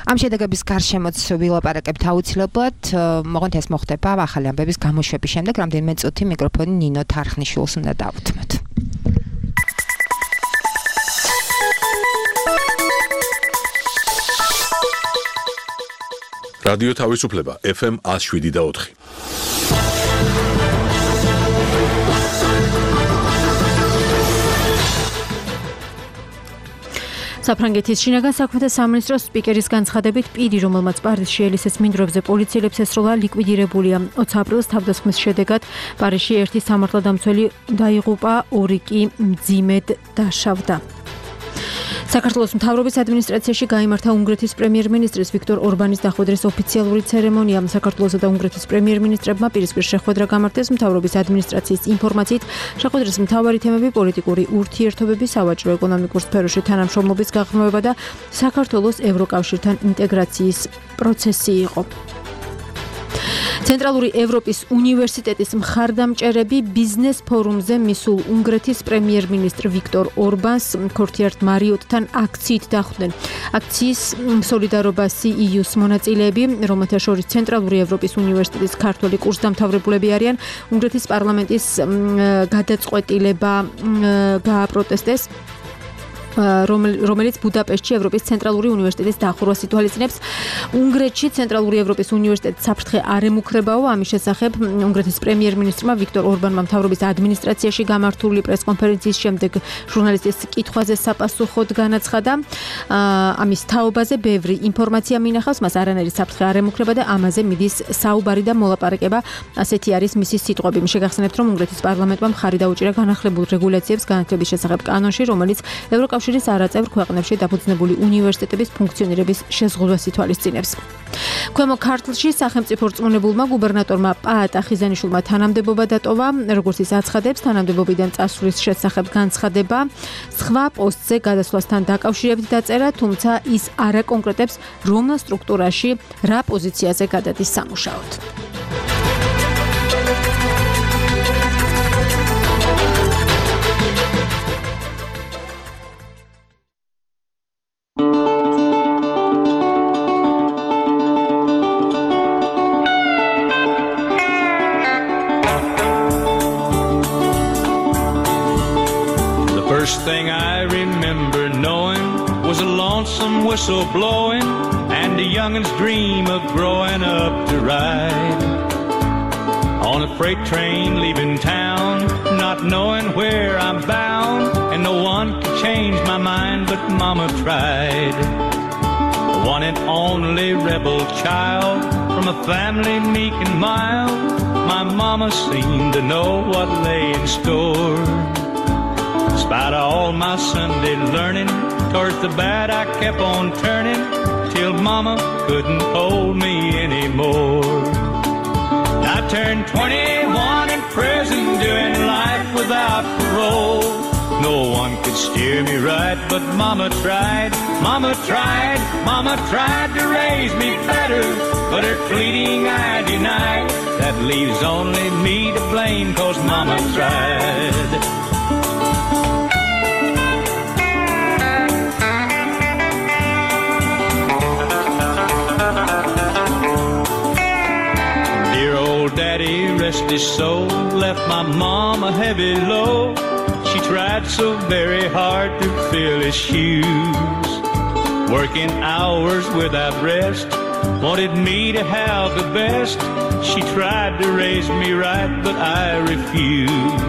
ამ შედეგების გარშემოც ვილაპარაკებთ აუცილებლად, მოღონთ ეს მოხდება ახალი ამბების გამოშვების შემდეგ, რამდენიმე წუთი მიკროფონი ნინო თარხნიშვილს უნდა დავუთმოთ. რადიო თავისუფლება ეფ ემ one oh seven და four. საფრანგეთის შინაგან საქმეთა სამინისტროს სპიკერის განცხადებით პირი, რომელმაც პარიზში ელისეს მინდვრებზე პოლიციელებს ესროლა, ლიკვიდირებულია. ოცი აპრილის თავდასხმის შედეგად პარიზში ერთი სამართალდამცველი დაიღუპა, ორი კი მძიმედ დაშავდა. საქართველოს მთავრობის ადმინისტრაციაში გაიმართა უნგრეთის პრემიერ-მინისტრის ვიქტორ ორბანის დახვედრის ოფიციალური ცერემონია. საქართველოსა და უნგრეთის პრემიერ-მინისტრებმა პირისპირ შეხვედრა გამართეს. მთავრობის ადმინისტრაციის ინფორმაციით, შეხვედრის მთავარი თემები პოლიტიკური ურთიერთობები, სავაჭრო-ეკონომიკურ სფეროში თანამშრომლობის გაღრმავება და საქართველოს ევროკავშირთან ინტეგრაციის პროცესი იყო. ცენტრალური ევროპის უნივერსიტეტის მხარდამჭერები ბიზნეს ფორუმზე მისულ უნგრეთის პრემიერ-მინისტრ ვიქტორ ორბანს ქორთიართ მარიოტთან აქციით დახვდნენ. აქციის სოლიდარობა სი ი იუს მონაწილეები, რომელთა შორის ცენტრალური ევროპის უნივერსიტეტის ქართველი კურსდამთავრებულები არიან, უნგრეთის პარლამენტის გადაწყვეტილება გააპროტესტეს, რომელიც ბუდაპეშტში ევროპის ცენტრალური უნივერსიტეტის დახურვას ითვალისწინებს. უნგრეთში ცენტრალური ევროპის უნივერსიტეტი საფრთხე არ ემუქრებაო. ამის შესახებ უნგრეთის პრემიერ-მინისტრმა ვიქტორ ორბანმა მთავრობის ადმინისტრაციაში გამართული პრესკონფერენციის შემდეგ ჟურნალისტის კითხვაზე საპასუხოდ განაცხადა. ამის თაობაზე ბევრი ინფორმაცია მინახავს, მას არანაირი საფრთხე არ ემუქრება და ამაზე მიდის საუბარი და მოლაპარაკება. ასეთი არის მისი სიტყვები. შეგახსენებთ, რომ უნგრეთის პარლამენტმა მხარი დაუჭირა განახლებულ რეგულაციებს განათლების შესახებ კანონში, რომელიც ევროკავშირის არაწევრ ქვეყნებში დაფუძნებული უნივერსიტეტების ფუნქციონირების შეზღუდვას ითვალისწინებს. ქვემო ქართლში სახელმწიფო რწმუნებულმა გუბერნატორმა პაატა ხიზანიშვილმა თანამდებობა დატოვა, როგორც ის აცხადებს, თანამდებობიდან წასვლის შესახებ განცხადება სხვა პოსტზე გადასვლასთან დაკავშირებით დაწერა, თუმცა ის არ აკონკრეტებს, რომელ სტრუქტურაში, რა პოზიციაზე გადადის სამუშაოდ. First thing I remember knowing was a lonesome whistle blowing and a youngin's dream of growing up to ride on a freight train leaving town, not knowing where I'm bound, and no one could change my mind but Mama tried. The one and only rebel child from a family meek and mild, my mama seemed to know what lay in store. Despite all my Sunday learning, towards the bad I kept on turning, till Mama couldn't hold me anymore. I turned twenty-one in prison, doing life without parole. No one could steer me right, but Mama tried, Mama tried, Mama tried to raise me better, but her pleading I denied. That leaves only me to blame, 'cause Mama tried. Daddy, rest his soul, left my mom a heavy load. She tried so very hard to fill his shoes, working hours without rest, wanted me to have the best. She tried to raise me right, but I refused.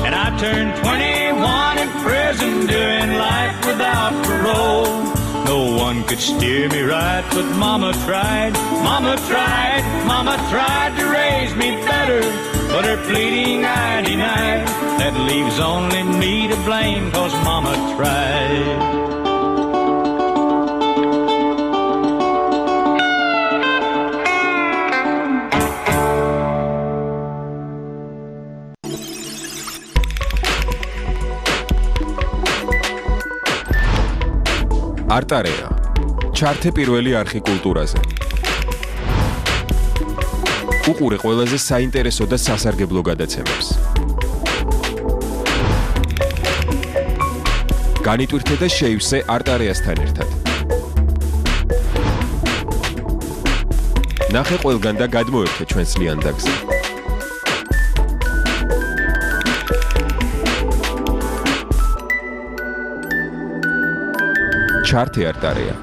And I turned twenty-one in prison, doing life without parole. No one could steer me right, but Mama tried, Mama tried, Mama tried to raise me better, but her pleading I denied. That leaves only me to blame, 'cause Mama tried. არტარეა. ჩართე პირველი არხი კულტურაზე. უყურე ყველაზე საინტერესო და სასარგებლო გადაცემებს. განიტვირთე და შეივსე არტარეასთან ერთად. ნახე ყველგან და გადმოერთე ჩვენს ლიანდაგზე. ჩარტი არტარია.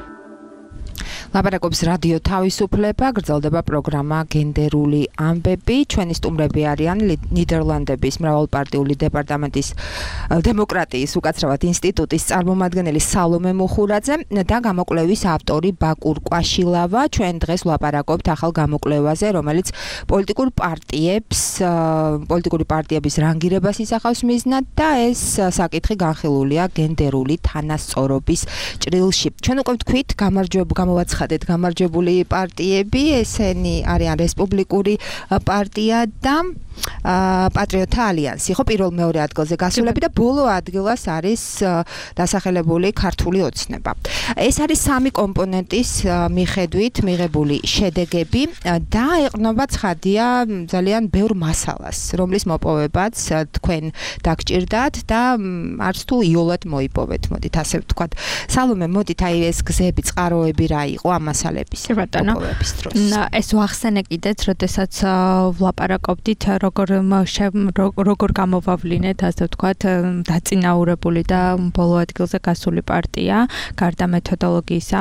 ლაპარაკობს რადიო თავისუფლება, გრძელდება პროგრამა გენდერული ამბები. ჩვენი სტუმრები არიან ნიდერლანდების მრავალპარტიული დეპარტამენტის დემოკრატიის უკაცრავად ინსტიტუტის წარმომადგენელი სალომე მუხურაძე და გამოკვლევის ავტორი ბაკურ კვაშილავა. ჩვენ დღეს ვლაპარაკობთ ახალ გამოკვლევაზე, რომელიც პოლიტიკურ პარტიებს, პოლიტიკური პარტიების რანგირებას ისახავს მიზნად და ეს საკითხი განხილულია გენდერული თანასწორობის ჭრილში. ჩვენ უკვე ვთქვით, გამარჯვება გამოვაცხადეთ გამარჯვებული პარტიები, ესენი არიან რესპუბლიკური პარტია და პატრიოტთა ალიანსი, ხო, პირველ მეორე ადგილზე გასულები და ბოლო ადგილას არის დასახელებული ქართული ოცნება. ეს არის სამი კომპონენტის მიხედვით მიღებული შედეგები და ეყრდნობა ცხადია ძალიან ბევრ მასალას, რომლის მოპოვებაც თქვენ დაგჭირდათ და არც თუ იოლად მოიპოვეთ, მოდით ასე ვთქვათ. სალომე, მოდით აი ეს გზები, წყაროები რა იყო ამ მასალების მოპოვების დროს. ეს ვახსენე კიდეც, როდესაც ვლაპარაკობდით როგორ როგორ გამოვავლინეთ, ასე ვთქვათ, დაწინაურებული და ბოლო ადგილზე გასული პარტია, გარდა მეთოდოლოგიისა,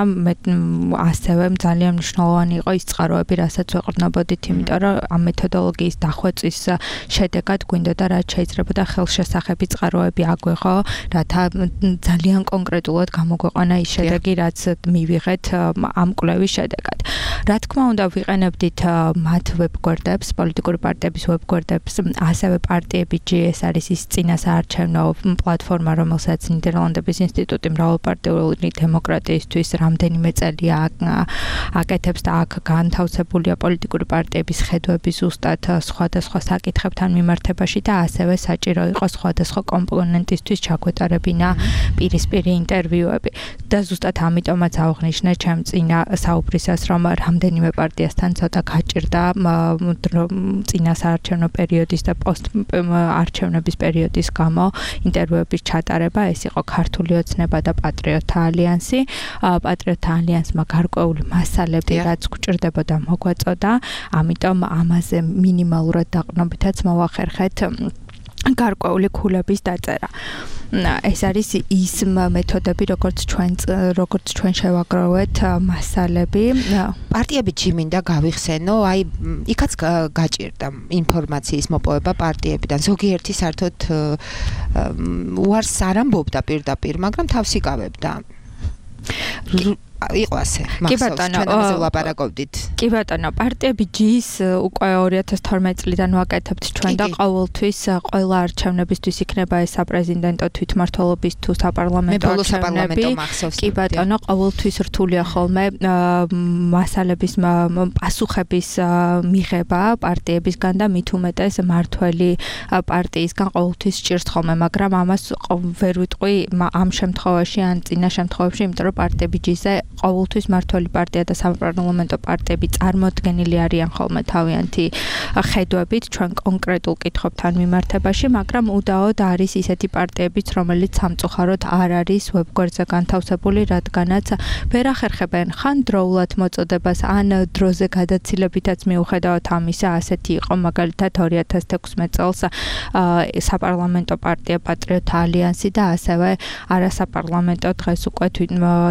ასევე ძალიან მნიშვნელოვანი იყო ის წყაროები, რასაც ვეყრდნობოდით, იმიტომ რომ ამ მეთოდოლოგიის დახვეწის შედეგად გვინდოდა რაც შეიძლებოდა ხელშესახები წყაროები აგვეღო, რათა ძალიან კონკრეტულად გამოგვეყანა ის შედეგი, რაც მივიღეთ ამ კვლევის შედეგად. რა თქმა უნდა, ვიყენებდით მათ ვებგვერდებს, პოლიტიკური პარტიების ვებგვერდებს, ასევე პარტიები ჯი ეს არის ის წინასაარჩევნო პლატფორმა, რომელსაც ნიდერლანდების ინსტიტუტი მრავალპარტიული დემოკრატიისთვის რამდენიმე წელია აკეთებს და აქ განთავსებულია პოლიტიკური პარტიების ხედვები ზუსტად სხვადასხვა საკითხებთან მიმართებაში და ასევე საჭირო იყო სხვადასხვა კომპონენტისთვის ჩაგვეტარებინა პირისპირი ინტერვიუები. და ზუსტად ამიტომაც აღნიშნე ჩემ წინა საუბრისას, რომ რამდენიმე პარტიასთან ცოტა გაჭირდა წინასაარჩევნო პერიოდის და პოსტ-არჩევნების პერიოდის გამო ინტერვიუების ჩატარება. ეს იყო ქართული ოცნება და პატრიოტთა ალიანსი. პატრიოტთა ალიანსმა გარკვეული მასალები, რაც გვჭირდებოდა, მოგვაწოდა. ამიტომ ამაზე მინიმალურად დაყრდნობითაც მოვახერხეთ გარკვეული ქულების დაწერა. ეს არის ის მეთოდები, როგორც ჩვენ როგორც ჩვენ შევაგროვეთ მასალები. პარტიები ჯიმინდა გავიხსენო, აი იქაც გაჭირდა ინფორმაციის მოპოვება პარტიებიდან. ზოგიერთი საერთოდ უარს არ ამბობდა პირდაპირ, მაგრამ თავს იკავებდა. იყო ასე. კი ბატონო, ვლაპარაკობდით. კი ბატონო, პარტიები ჯის უკვე ორი ათას თორმეტი წლიდან ვაკეთებთ ჩვენ და ყოველთვის ყველა არჩევნებისთვის იქნება ეს საპრეზიდენტო თვითმმართველობის თუ საპარლამენტო არჩევნები. კი ბატონო, ყოველთვის რთულია ხოლმე მასალების პასუხების მიღება პარტიებისგან და მით უმეტეს მართველი პარტიისგან ყოველთვის სჭირს ხოლმე, მაგრამ ამას ვერ ვიტყვი ამ შემთხვევაში ან წინა შემთხვევებში, იმიტომ რომ პარტიები ჯიზე ყოველთვის მართველი პარტია და საპარლამენტო პარტიები წარმოდგენილი არიან ხოლმე თავიანთი ხედვებით ჩვენ კონკრეტულ კითხვებთან მიმართებაში, მაგრამ უდაოდ არის ისეთი პარტიებიც, რომელიც სამწუხაროდ არ არის ვებგვერდზე განთავსებული, რადგანაც ვერ ახერხებენ ხან დროულად მოწოდებას, ან დროზე გადაცილებითაც მიუხედავად ამისა, ასეთი იყო მაგალითად ორი ათას თექვსმეტ წელს საპარლამენტო პარტია პატრიოტთა ალიანსი და ასევე არასაპარლამენტო დღეს უკვე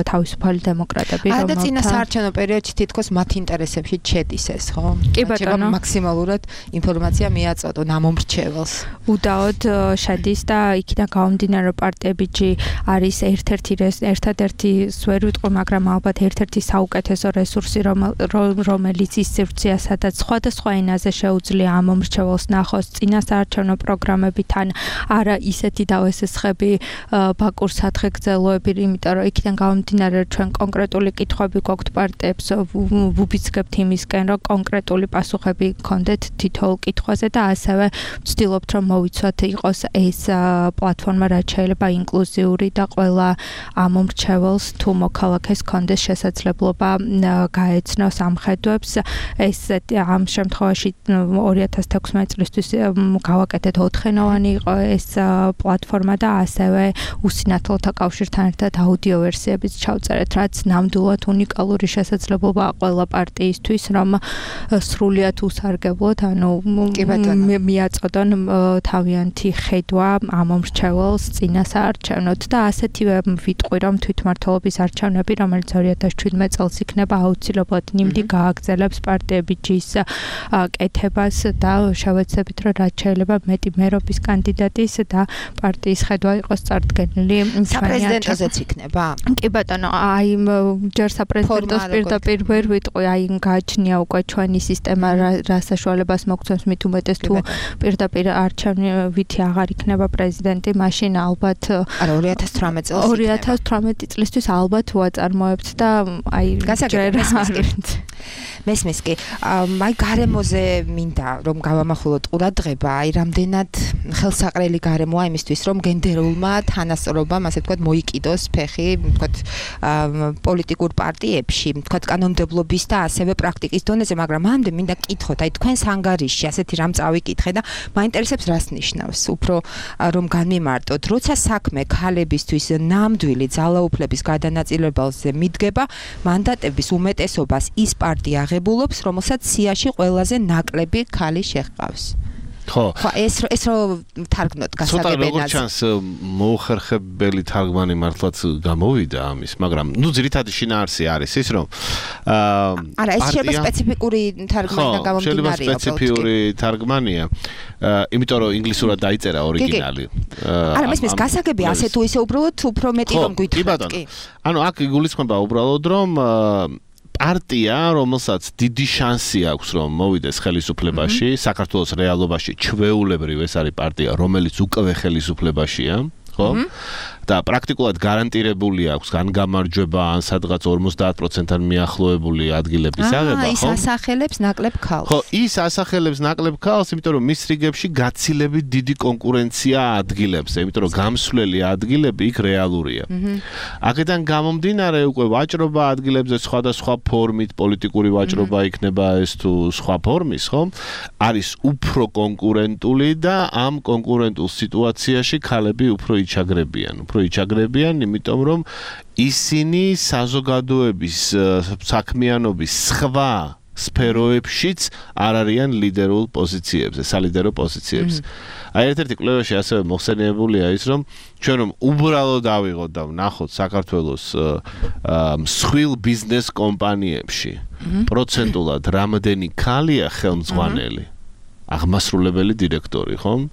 თავისუფალი დემოკრატები, რომელთა და წინასაარჩევნო პერიოდში თითქოს მათ ინტერესებში შედის ეს, ხო? კი ბატონო, მაქსიმალურად ინფორმაცია მიაწოდონ ამ მომრჩეველს. უდაოდ შედის და იქიდან გამომდინარე პარტიები ჯი არის ერთ-ერთი ერთადერთი ვერ ვიტყვი, მაგრამ ალბათ ერთ-ერთი საუკეთესო რესურსი, რომელიც ის სივრცეა, სადაც სხვადასხვა ენაზე შეუძლია ამ მომრჩეველს ნახოს წინასაარჩევნო პროგრამებთან, არა ისეთი დავესესხები ბაკურ სათხეგრძელოები, იმიტომ რომ იქიდან გამომდინარე ჩვენ კონკრეტული კითხვები გვაქვთ პარტიებს, ვუბიცგებთ იმისკენ, რომ კონკრეტული პასუხები გქონდეთ თითოეულ კითხვაზე და ასევე ვცდილობთ, რომ მოვიცვათ იყოს ეს პლატფორმა, რაც შეიძლება ინკლუზიური და ყველა ამომრჩეველს თუ მოქალაქეს გქონდეს შესაძლებლობა გაეცნოს ამ ხედვებს. ეს ამ შემთხვევაში ორი ათას თექვსმეტი წლისთვის გავაკეთეთ ოთხენოვანი იყო ეს პლატფორმა და ასევე უსინათლოთა კავშირთან ერთად აუდიო ვერსიებიც ჩავწერეთ, რაც ნამდვილად უნიკალური შესაძლებლობა ყველა პარტიისთვის, რომ სრულიად უსარგებლოდ, ანუ მიაწოდონ თავიანთი ხედვა ამ მომრჩეველს წინასაარჩევნოდ და ასეთივე ვიტყვი, რომ თვითმმართველობის არჩევნები, რომელიც ორი ათას შვიდმეტ წელს იქნება, აუცილებლად ნიმდი გააგრძელებს პარტიების ჯის კეთებას და შევეცდებით, რომ რაც შეიძლება მეტი მერობის კანდიდატის და პარტიის ხედვა იყოს წარდგენილი. საპრეზიდენტოზეც იქნება? კი ბატონო, აი ჯერ საპრეზიდენტოს პირდაპირ ვერ ვიტყვი, აი გააჩნია უკვე ჩვენი სისტემა, რა საშუალებას მოგცემს მით უმეტეს თუ პირდაპირ არჩევნითი აღარ იქნება პრეზიდენტი, მაშინ ალბათ არა ორი ათას თვრამეტ წელს ორი ათას თვრამეტი წლისთვის ალბათ უაწარმოებთ და აი ჯერ მესმის კი აი გარემოზე მინდა რომ გავამახვილოთ ყურადღება, აი რამდენად ხელსაყრელი გარემოა იმისთვის, რომ გენდერულმა თანასწორობამ, ასე ვთქვათ, მოიკიდოს ფეხი, ვთქვათ, პოლიტიკურ პარტიებში, ვთქვათ, კანონმდებლობის და ასევე პრაქტიკის დონეზე, მაგრამ მამდე მინდა გკითხოთ, აი თქვენს ანგარიშში ასეთი რამ წავიკითხე და მაინტერესებს რას ნიშნავს, უფრო რომ განმემარტოთ, როცა საქმე ქალებისთვის ნამდვილი ძალაუფლების გადანაწილებაზე მიდგება, მანდატების უმეტესობას ის პარტია აღებულობს, რომელსაც სიაში ყველაზე ნაკლები ქალი შეჰყავს. ხო. ხო, ეს ეს რო თარგმნოთ გასაგებენად. ცოტა როგორც ჩანს მოუხერხებელი თარგმანი მართლაც გამოვიდა ამის, მაგრამ ნუ ძირითადი შინაარსი არის ის, რომ აა არა, ეს შეიძლება სპეციფიკური თარგმანი და გამომდინარეა. ხო, შეიძლება სპეციფიური თარგმანია. იმიტომ რომ ინგლისურად დაიწერა ორიგინალი. არა, მესმის გასაგები ასე თუ ისე უბრალოდ უფრო მეტი რომ გვითხრათ, კი. ანუ აქ იგულისხმება უბრალოდ რომ პარტია, რომელსაც დიდი შანსი აქვს, რომ მოვიდეს ხელისუფლებაში, საქართველოს რეალობაში ჩვეულებრივ ეს არის პარტია, რომელიც უკვე ხელისუფლებაშია, ხო? და პრაქტიკულად გარანტირებული აქვს ან გამარჯვება, ან სადღაც ორმოცდაათ პროცენტთან მიახლოებული ადგილების აღება, ხო? ის ასახელებს ნაკლებ ქალს. ხო, ის ასახელებს ნაკლებ ქალს, იმიტომ რომ მის რიგებში გაცილებით დიდი კონკურენცია ადგილებზე, იმიტომ რომ გამსვლელი ადგილები იქ რეალურია. აქედან გამომდინარე უკვე ვაჭრობა ადგილებზე სხვადასხვა ფორმით, პოლიტიკური ვაჭრობა იქნება ეს თუ სხვა ფორმის, ხო? არის უფრო კონკურენტული და ამ კონკურენტულ სიტუაციაში ქალები უფრო იჩაგრებიან. იჩაგრებიან, იმიტომ რომ ისინი საზოგადოების საქმიანობის სხვა სფეროებშიც არ არიან ლიდერულ პოზიციებზე, სალიდერო პოზიციებზე. აი ერთ-ერთი კვლევაში ასევე მოხსენიებულია ის, რომ ჩვენ რომ უბრალოდ ავიღოთ და ვნახოთ საქართველოს მსხვილ ბიზნეს კომპანიებში პროცენტულად რამდენი ქალია ხელმძღვანელი. აღმასრულებელი დირექტორი, ხო?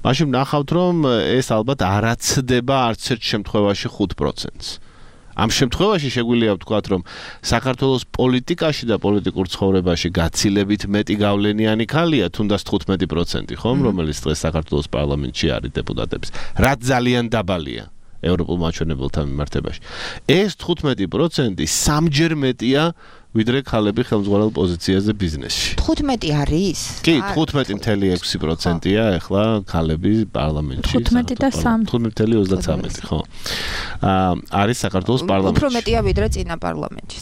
მაშინ ნახავთ, რომ ეს ალბათ არაცდება არც ერთ შემთხვევაში ხუთ პროცენტს. ამ შემთხვევაში შეგვიძლია ვთქვათ, რომ საქართველოს პოლიტიკაში და პოლიტიკურ ცხოვრებაში გაცილებით მეტი გავლენიანი ქალია, თუნდაც თხუთმეტი პროცენტი, ხო, რომელიც დღეს საქართველოს პარლამენტში არის დეპუტატების. რაც ძალიან დაბალია ევროპულ მაჩვენებელთან მიმართებაში. ეს თხუთმეტი პროცენტი სამჯერ მეტია ვიდრე ქალები ხელმძღვანელ პოზიციაზე ბიზნესში. თხუთმეტი არის? კი, თხუთმეტი წუთი ექვსი პროცენტია ახლა ქალები პარლამენტში. თხუთმეტი და სამი. თხუთმეტი წუთი ოცდათრამეტი, ხო. აა არის საქართველოს პარლამენტში. უფრო მეტია ვიდრე წინა პარლამენტში.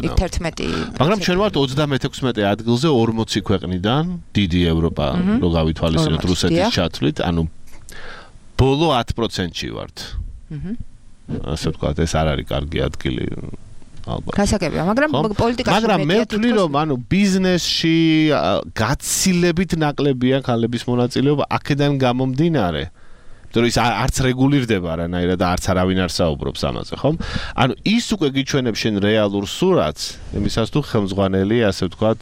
იქ თერთმეტი. მაგრამ ჩვენ ვართ ოცდამეთექვსმეტე ადგილზე ორმოცი ქვეყნიდან, დიდი ევროპა, რო გავითვალისწინოთ რუსეთის ჩათვლით, ანუ ბოლო ათ პროცენტში ვართ. აჰა. ასე ვთქვათ, ეს არ არის კარგი ადგილი. გასაგებია, მაგრამ პოლიტიკაში მაგრამ მე ვთვლი, რომ ანუ ბიზნესში გაცილებით ნაკლებია ქალების მონაწილეობა, აქედან გამომდინარე. იმიტომ რომ ის არც რეგულირდება არანაირად და არც არავინ არ საუბრობს ამაზე, ხო? ანუ ის უკვე გიჩვენებს შენ რეალურ სურათს, იმისას თუ ხელმძღვანელი, ასე ვთქვათ,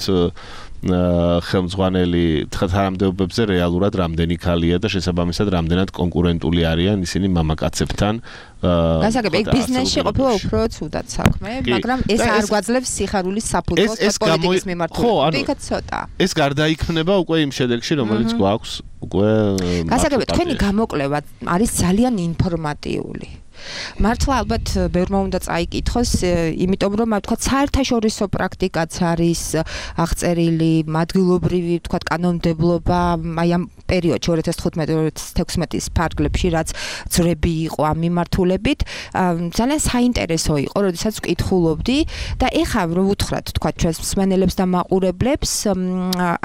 ხელმძღვანელი თანამდებობებზე რეალურად რამდენი ქალია და შესაბამისად რამდენად კონკურენტული არიან ისინი მამაკაცებთან. გასაგებია, ბიზნესში ყოფილა უფრო ცუდად საქმე, მაგრამ ეს არ გვაძლევს სიხარულის საფუძველს პოლიტიკის მიმართულებით. იქაც ცოტა. ეს გარდაიქმნება უკვე იმ შედეგში, რომელიც გვაქვს უკვე. გასაგებია, თქვენი გამოკვლევა არის ძალიან ინფორმატიული. მართლა ალბათ ბევრმა უნდა წაიკითხოს, იმიტომ რომ თქვათ საერთაშორისო პრაქტიკაც არის აღწერილი, ადგილობრივი თქვათ კანონმდებლობა, აი ამ პერიოდში ორი ათას თხუთმეტი ორი ათას თექვსმეტის ფარგლებში, რაც ძრები იყო ამ მიმართულებით, ძალიან საინტერესო იყო, როდესაც ვკითხულობდი და ეხლა რომ უთხრათ თქვათ ჩვენს მსმენელებს და მაყურებლებს,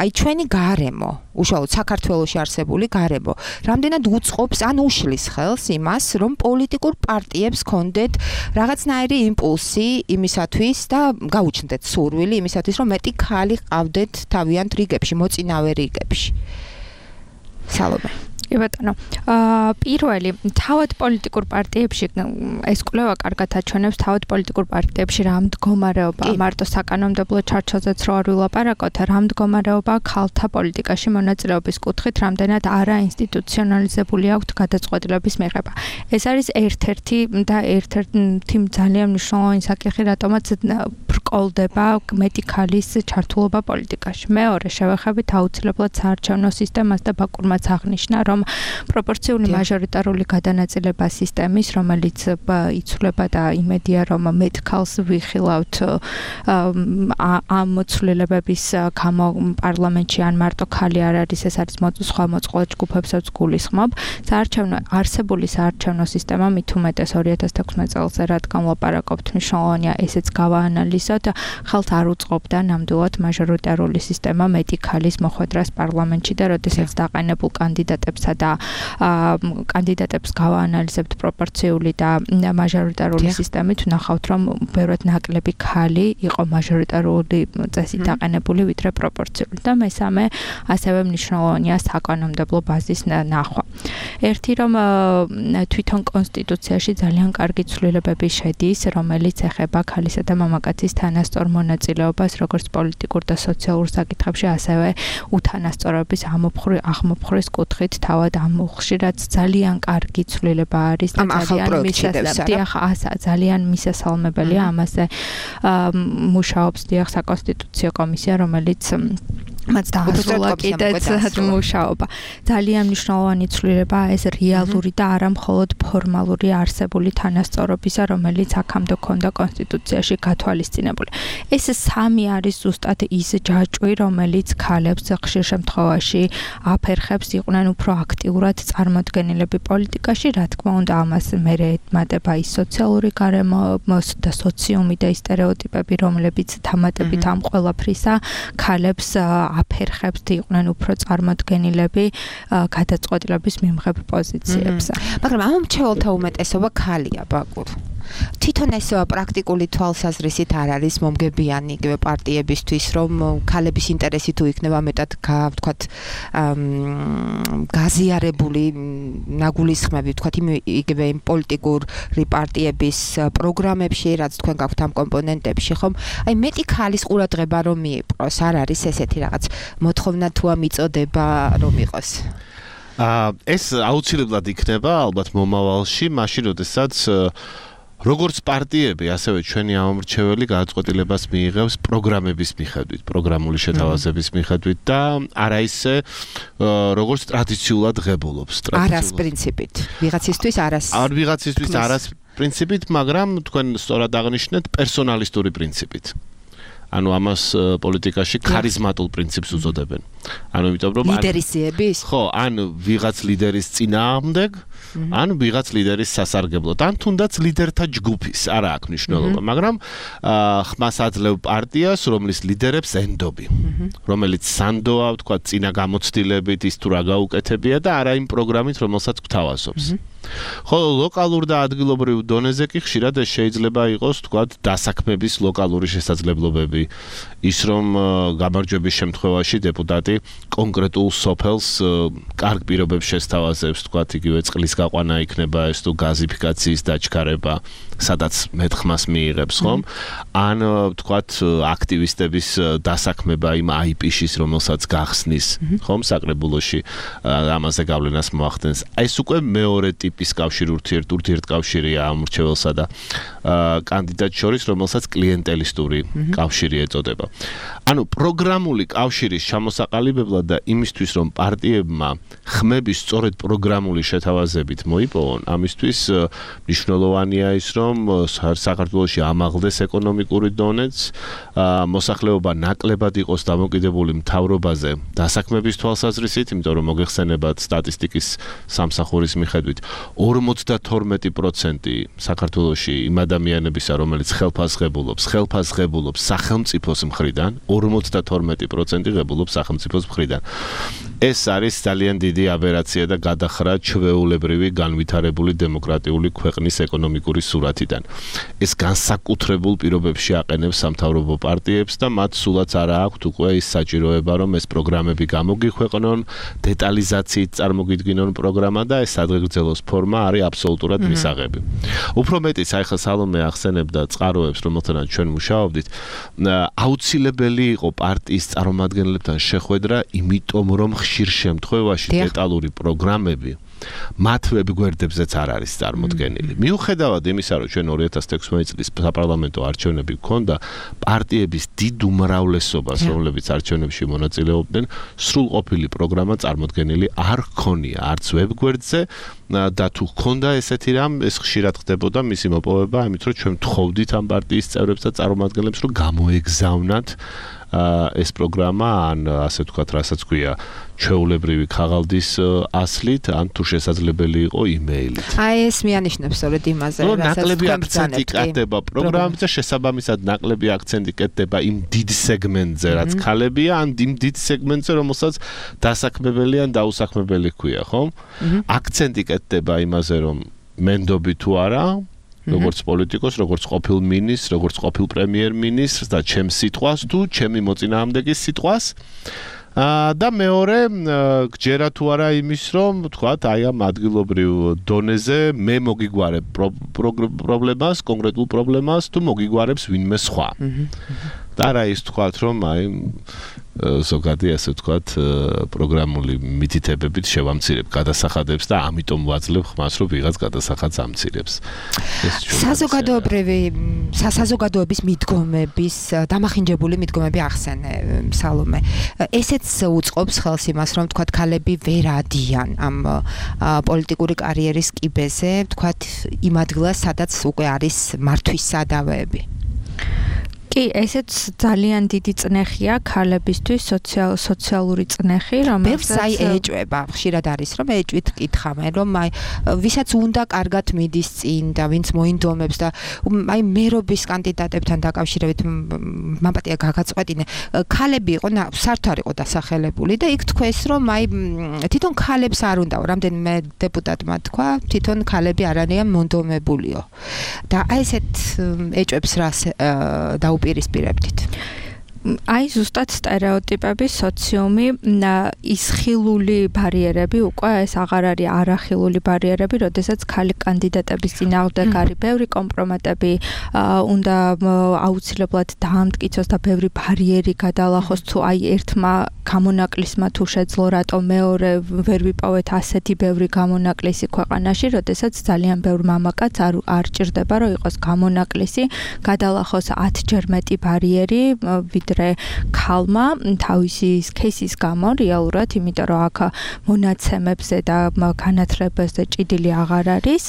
აი ჩვენი გარემო უშუალოდ საქართველოში არსებული გარემო რამდენად უწყობს ან უშლის ხელს იმას, რომ პოლიტიკურ პარტიებს კონდეთ რაღაცნაირი იმპულსი იმისათვის და გაუჩნდეთ სურვილი იმისათვის, რომ მეტი ქალი ყავდეთ თავიანთ რიგებში, მოწინავე რიგებში. სალომე. კი ბატონო. აა პირველი თავად პოლიტიკურ პარტიებში ეს კვლევა კარგად აჩვენებს თავად პოლიტიკურ პარტიებში რა მდგომარეობა მარტო საკანონმდებლო ჩარჩოზეც რო არ ვილაპარაკოთ, რა მდგომარეობა ქალთა პოლიტიკაში მონაწილეობის კუთხით რამდენად არაინსტიტუციონალიზებული აქვთ გადაწყვეტილების მიღება. ეს არის ერთ-ერთი და ერთ-ერთი ძალიან მნიშვნელოვანი საკითხი, რატომაც ბრკოლდება მეტი ქალის ჩართულობა პოლიტიკაში. მეორე, შევეხებით აუცილებლად საარჩევნო სისტემას და ბაკურმაც აღნიშნა, რომ პროპორციული მაჟორიტარული გადანაწილება სისტემის, რომელიც იცვლება და იმედია, რომ მეტ ქალს ვიხილავთ ამ მოცვლილებების გამო პარლამენტში ან მარტო ქალი არ არის, ეს არის სხვა მოწყვლად ჯგუფებსაც გულისხმობ. საარჩევნო არსებული საარჩევნო სისტემა მით უმეტეს ორი ათას თექვსმეტ წელს რადგან ვლაპარაკობთ, მნიშვნელოვანია ესეც გავაანალიზოთ, ხელთ არ უწყობდა ნამდვილად მაჟორიტარული სისტემა მეტი ქალის მოხვედრას პარლამენტში და როდესაც დაყენებულ კანდიდატებს და კანდიდატებს გავაანალიზებთ პროპორციული და მაჟორიტარული სისტემით, ვნახავთ, რომ ბევრად ნაკლები ქალი იყო მაჟორიტარული წესით დაყენებული ვიდრე პროპორციული და მესამე ასევე მნიშვნელოვანია საკანონმდებლო ბაზის ნახვა. ერთი რომ თვითონ კონსტიტუციაში ძალიან კარგი ცვლილებები შედის, რომელიც ეხება ქალისა და მამაკაცის თანასწორ მონაწილეობას როგორც პოლიტიკურ და სოციალურ საკითხებში, ასევე უთანასწორობის აღმოფხვრის კუთხით თავად ამ ხშირად ძალიან კარგი ცვლილება არის და ძალიან მისასალმებელია ძალიან მისასალმებელია ამაზე მუშაობს დიახ საკონსტიტუციო კომისია, რომელიც მას დაასრულა კიდეც მუშაობა. ძალიან მნიშვნელოვანი ცვლილებაა ეს რეალური და არა მხოლოდ ფორმალური არსებული თანასწორობისა, რომელიც აქამდე ქონდა კონსტიტუციაში გათვალისწინებული. ეს სამი არის ზუსტად ის ჯაჭვი, რომელიც ქალებს ხშირ შემთხვევაში აფერხებს იყვნენ უფრო აქტიურად წარმოდგენილები პოლიტიკაში, რა თქმა უნდა, ამას მერე ემატება ის სოციალური გარემო და სოციუმი და ის სტერეოტიპები, რომლებიც თამატებით ამ ყველაფრისა ქალებს აფერხებს იყვნენ უფრო წარმოდგენილები გადაწყვეტილების მიმღებ პოზიციებზე. მაგრამ ამ მრჩეველთა უმეტესობა ქალია, ბაკურ. თვითონ ეს პრაქტიკული თვალსაზრისით არ არის მომგებიანი იგივე პარტიებისთვის, რომ ქალების ინტერესი თუ იქნება მეტად ვთქვათ გაზიარებული ნაგულისხმები, ვთქვათ იგივე იმ პოლიტიკური პარტიების პროგრამებში, რაც თქვენ გაქვთ ამ კომპონენტებში, ხომ? აი მეტი ქალის ყურადღება რომ მიიპყროს, არ არის ესეთი რაღაც მოთხოვნა თუ ამიწოდება რომ იყოს. აა ეს აუცილებლად იქნება ალბათ მომავალში, მაშინ როდესაც როგორც პარტიები, ასევე ჩვენი ამომრჩეველი გადაწყვეტილებას მიიღებს პროგრამების მიხედვით, პროგრამული შეთავაზების მიხედვით და არა ისე როგორც ტრადიციულად ღებულობს. არას პრინციპით. ვიღაცისთვის არას. არ ვიღაცისთვის არას პრინციპით, მაგრამ თქვენ სწორად აღნიშნეთ პერსონალისტური პრინციპით. ანუ ამას პოლიტიკაში ქარიზმატულ პრინციპს უწოდებენ. ანუ იმიტომ რომ ლიდერისიების? ხო, ან ვიღაც ლიდერის წინააღმდეგ, ან ვიღაც ლიდერის სასარგებლოდ, ან თუნდაც ლიდერთა ჯგუფის, არა აქვს მნიშვნელობა, მაგრამ ხმას აძლევ პარტიას, რომლის ლიდერებს ენდობი, რომელიც სანდოა, ვთქვათ, წინა გამოცდილებით ის თუ რა გაუკეთებია და არა იმ პროგრამით, რომელსაც გვთავაზობს. ხოლო ლოკალურ და ადგილობრივ დონეზე კი ხშირად შეიძლება იყოს, ვთქვათ, დასაქმების ლოკალური შესაძლებლობები, ის რომ გამარჯვების შემთხვევაში დეპუტატი კონკრეტულ სოფელს კარგ პირობებს შესთავაზებს, ვთქვათ, იგივე წყლის გაყვანა იქნება ეს თუ გაზიფიკაციის დაჩქარება, სადაც მეტხმას მიიღებს, ხომ? ან ვთქვათ, აქტივისტების დასაქმება იმ აი პი-ის, რომელსაც გახსნის, ხომ, საკრებულოში ამაზე გავლენას მოახდენს. ეს უკვე მეორე ტიპის კავშირი ურთიერთ ურთიერთკავშირია ამ მრჩეველსა და კანდიდატს შორის, რომელსაც კლიენტელისტური კავშირი ეწოდება. ანუ პროგრამული კავშირის ჩამოსაყალიბებლად და იმისთვის, რომ პარტიებმა ხმების სწორედ პროგრამული შეთავაზებით მოიპოვონ, ამისთვის მნიშვნელოვანია ის, რომ საქართველოში ამაღლდეს ეკონომიკური დონეც, მოსახლეობა ნაკლებად იყოს დამოკიდებული მთავრობაზე დასაქმების თვალსაზრისით, იმიტომ რომ მოგეხსენებათ სტატისტიკის სამსახურის მიხედვით ორმოცდათორმეტი პროცენტი საქართველოში იმ ადამიანებისა, რომელიც ხელფასს ღებულობს, ხელფასს ღებულობს სახელმწიფოს მხრიდან, ორმოცდათორმეტი პროცენტი ღებულობს სახელმწიფოს მხრიდან. ეს არის ძალიან დიდი აბერაცია და გადახრა ჩვეულებრივი განვითარებული დემოკრატიული ქვეყნის ეკონომიკური სურათიდან. ეს განსაკუთრებულ პირობებში აყენებს სამთავრობო პარტიებს და მათ სულაც არა აქვთ უკვე ის საჭიროება, რომ ეს პროგრამები გამოგიქვეყნონ, დეტალიზაციით წარმოგიდგინონ პროგრამა და ეს სადღეგრძელოს ფორმა არის აბსოლუტურად მისაღები. უფრო მეტიც, აი ხა სალომე ახსენებდა წყაროებს, რომელთანაც ჩვენ მუშაობდით, აუცილებელი იყო პარტიის წარმომადგენლებთან შეხვედრა, იმიტომ რომ ხშირ შემთხვევაში დეტალური პროგრამები მათ ვებგვერდებზეც არ არის წარმოდგენილი. მიუხედავად იმისა, რომ ჩვენ ორი ათას თექვსმეტი წლის საპარლამენტო არჩევნები გქონდა, პარტიების დიდ უმრავლესობას, რომლებიც არჩევნებში მონაწილეობდნენ, სრულყოფილი პროგრამა წარმოდგენილი არ ჰქონია, არც ვებგვერდზე და თუ ჰქონდა ესეთი რამ, ეს ხშირად ხდებოდა მისი მოპოვება, ამით რომ ჩვენ ვთხოვდით ამ პარტიის წევრებს და წარმომადგენლებს, რომ გამოეგზავნათ ეს პროგრამა, ან ასე ვთქვათ, რასაც ქვია, ჩვეულებრივი ქაღალდის ასლით, ან თუ შესაძლებელი იყო იმეილით. აი ეს მიანიშნებს სწორედ იმაზე, რასაც ნაკლები აქცენტი კეთდება პროგრამაზე და შესაბამისად ნაკლები აქცენტი კეთდება იმ დიდ სეგმენტზე, რაც ქალებია, ან იმ დიდ სეგმენტზე, რომელსაც დასაქმებელი ან დაუსაქმებელი ქვია, ხო? აქცენტი კეთდება იმაზე, რომ მენდობი თუ არა, როგორც პოლიტიკოს, როგორც ყოფილ მინისტრს, როგორც ყოფილ პრემიერ-მინისტრს და ჩემს სიტყვას თუ ჩემი მოწინააღმდეგის სიტყვას. და მეორე, გჯერა თუ არა იმის, რომ თქვათ, აი ამ ადგილობრივ დონეზე მე მოგიგვარებ პრობლემას, კონკრეტულ პრობლემას თუ მოგიგვარებს ვინმე სხვა. და რა ის თქვათ, რომ აი ზოგადი ასე ვთქვათ, პროგრამული მითითებებით შევამცირებ გადასახადებს და ამიტომ ვაძლევ ხმას, რომ ვიღაც გადასახადს ამცირებს. საზოგადოებრივი, საზოგადოების მიდგომების, დამახინჯებული მიდგომები ახსენე, სალომე. ესეც უწყობს ხელს იმას, რომ თქვათ, ქალები ვერ ადიან ამ პოლიტიკური კარიერის კიბეზე, თქვათ, იმ ადგილას, სადაც უკვე არის მართვის სადავეები. კი, ესეც ძალიან დიდი წნეხია ქალებისთვის, სოციალური წნეხი, რომელსაც აი ეჭვება. ხშირად არის, რომ ეჭვით კითხავენ, რომ აი ვისაც უნდა კარგად მიდის წინ და ვინც მოინდომებს და აი მერობის კანდიდატებთან დაკავშირებით მამპატია გაგაწყვეტინე, ქალები იყო, საერთოდ არ იყო დასახელებული და იქ თქვეს, რომ აი თვითონ ქალებს არ უნდაო, რამდენიმე დეპუტატმა თქვა, თვითონ ქალები არ არიან მონდომებულიო. და აი ესეთ ეჭვებს რას დაუ პირისპირებდით. აი ზუსტად სტერეოტიპები, სოციუმი, ის ხილული ბარიერები, უკვე ეს აღარ არის არახილული ბარიერები, როდესაც ქალი კანდიდატების წინააღმდეგ არის ბევრი კომპრომატები, უნდა აუცილებლად დაამტკიცოს და ბევრი ბარიერი გადალახოს, თუ აი ერთმა გამონაკლისმა თუ შეძლო, რატომ მეორე ვერ ვიპოვეთ ასეთი ბევრი გამონაკლისი ქვეყანაში, როდესაც ძალიან ბევრ მამაკაც არ არ ჭირდება, რომ იყოს გამონაკლისი, გადალახოს ათჯერ მეტი ბარიერი, ვიდრე ქალმა თავისი кейსის გამო რეალურად, იმიტომ რომ აქ მონაცემებზე და განათლებებზე ჭიდილი აღარ არის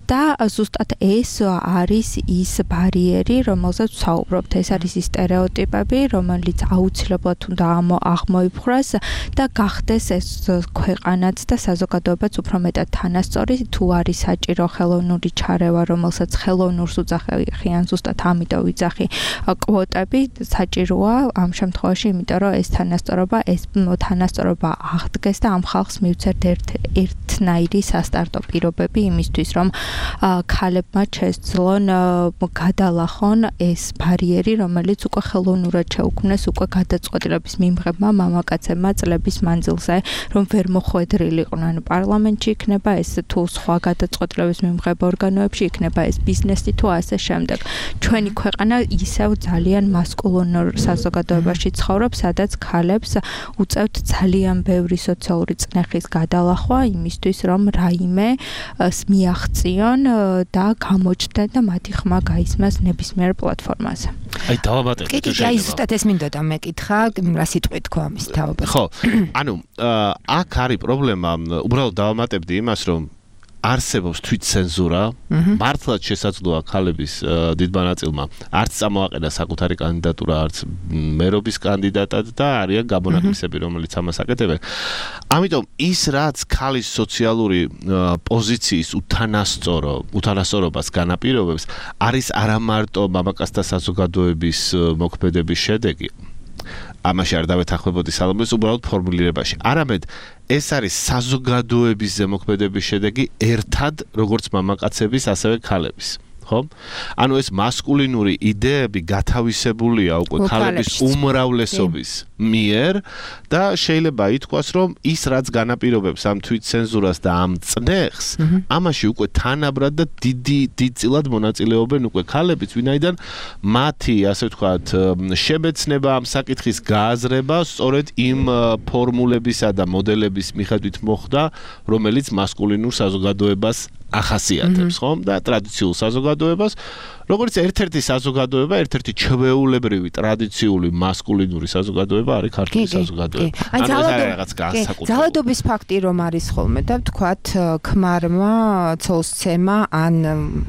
და ზუსტად ეს არის ის ბარიერი, რომელზეც ვსაუბრობთ. ეს არის ის სტერეოტიპები, რომელიც აუცილებლად უნდა აღმოიფხვრას და გახდეს ეს ქვეყანაც და საზოგადოებაც უფრო მეტად თანასწორი, თუ არის საჭირო ხელოვნური ჩარევა, რომელსაც ხელოვნურს უძახიან, ზუსტად ამიტომ ვიძახი კვოტები საჭიროა ამ შემთხვევაში, იმიტომ რომ ეს თანასწორობა, ეს თანასწორობა აღდგეს და ამ ხალხს მივცერთ ერთ ერთნაირი სასტარტო პირობები იმისთვის, რომ ქალებმა შესძლონ გადალახონ ეს ბარიერი, რომელიც უკვე ხელოვნურად შეუქმნეს უკვე გადაწყვეტილების მიმღებმა მამაკაცებმა წლების მანძილზე, რომ ვერ მოხვედრილიყვნენ პარლამენტში, იქნება ეს თუ სხვა გადაწყვეტილების მიმღებ ორგანოებში, იქნება ეს ბიზნესი თუ ასე შემდეგ. ჩვენი ქვეყანა ისევ ძალიან მასკულინურ საზოგადოებაში ცხოვრობს, სადაც ქალებს უწევთ ძალიან ბევრი სოციალური წნეხის გადალახვა იმისთვის, რომ რაიმე მიაღწიონ და გამოჩნდნენ და მათი ხმა გაისმას ნებისმიერ პლატფორმაზე. აი დავამატებ. კი, აი ზუსტად ეს მინდოდა მეკითხა, რა სიტყვით თქვა ამის თავობა. ხო, ანუ აქ არის პრობლემა, უბრალოდ დავამატებდი იმას, რომ არსებობს თვითცენზურა, მართლაც შესაძლოა ქალების დიდმა ნაწილმა არც წამოაყენა საკუთარი კანდიდატურა, არც მერობის კანდიდატად და არიან გამონაკლისები, რომელიც ამას აკეთებენ. ამიტომ ის რაც ქალის სოციალური პოზიციის უთანასწორო, უთანასწორობას განაპირობებს, არის არა მარტო მამაკაცთა საზოგადოების მოქმედების შედეგი, ამაში არ დავეთანხმებოდი სალომეს უბრალოდ ფორმულირებაში. არამედ ეს არის საზოგადოების ზემოქმედების შედეგი ერთად როგორც მამაკაცების, ასევე ქალების. ხო? ანუ ეს მასკულინური იდეები გათავისებულია უკვე ქალების უმრავლესობის მიერ და შეიძლება ითქვას, რომ ის რაც განაპირობებს ამ თვითცენზურას და ამ წნეხს, ამაში უკვე თანაბრად და დიდი დიდწილად მონაწილეობენ უკვე ქალებიც, ვინაიდან მათი, ასე ვთქვათ, შემეცნება ამ საკითხის გააზრება სწორედ იმ ფორმულებისა და მოდელების მიხედვით მოხდა, რომელიც მასკულინურ საზოგადოებას ახასიათებს, ხომ? და ტრადიციულ საზოგადოებას, როგორც ერთ-ერთი საზოგადოება, ერთ-ერთი ჩვეულებრივი ტრადიციული მასკულინური საზოგადოება არის ქართული საზოგადოება. ანუ ეს არის რაღაც განსაკუთრებული. ძალადობის ფაქტი რომ არის ხოლმე და ვთქვათ, ქმარმა ცოლსცემა ან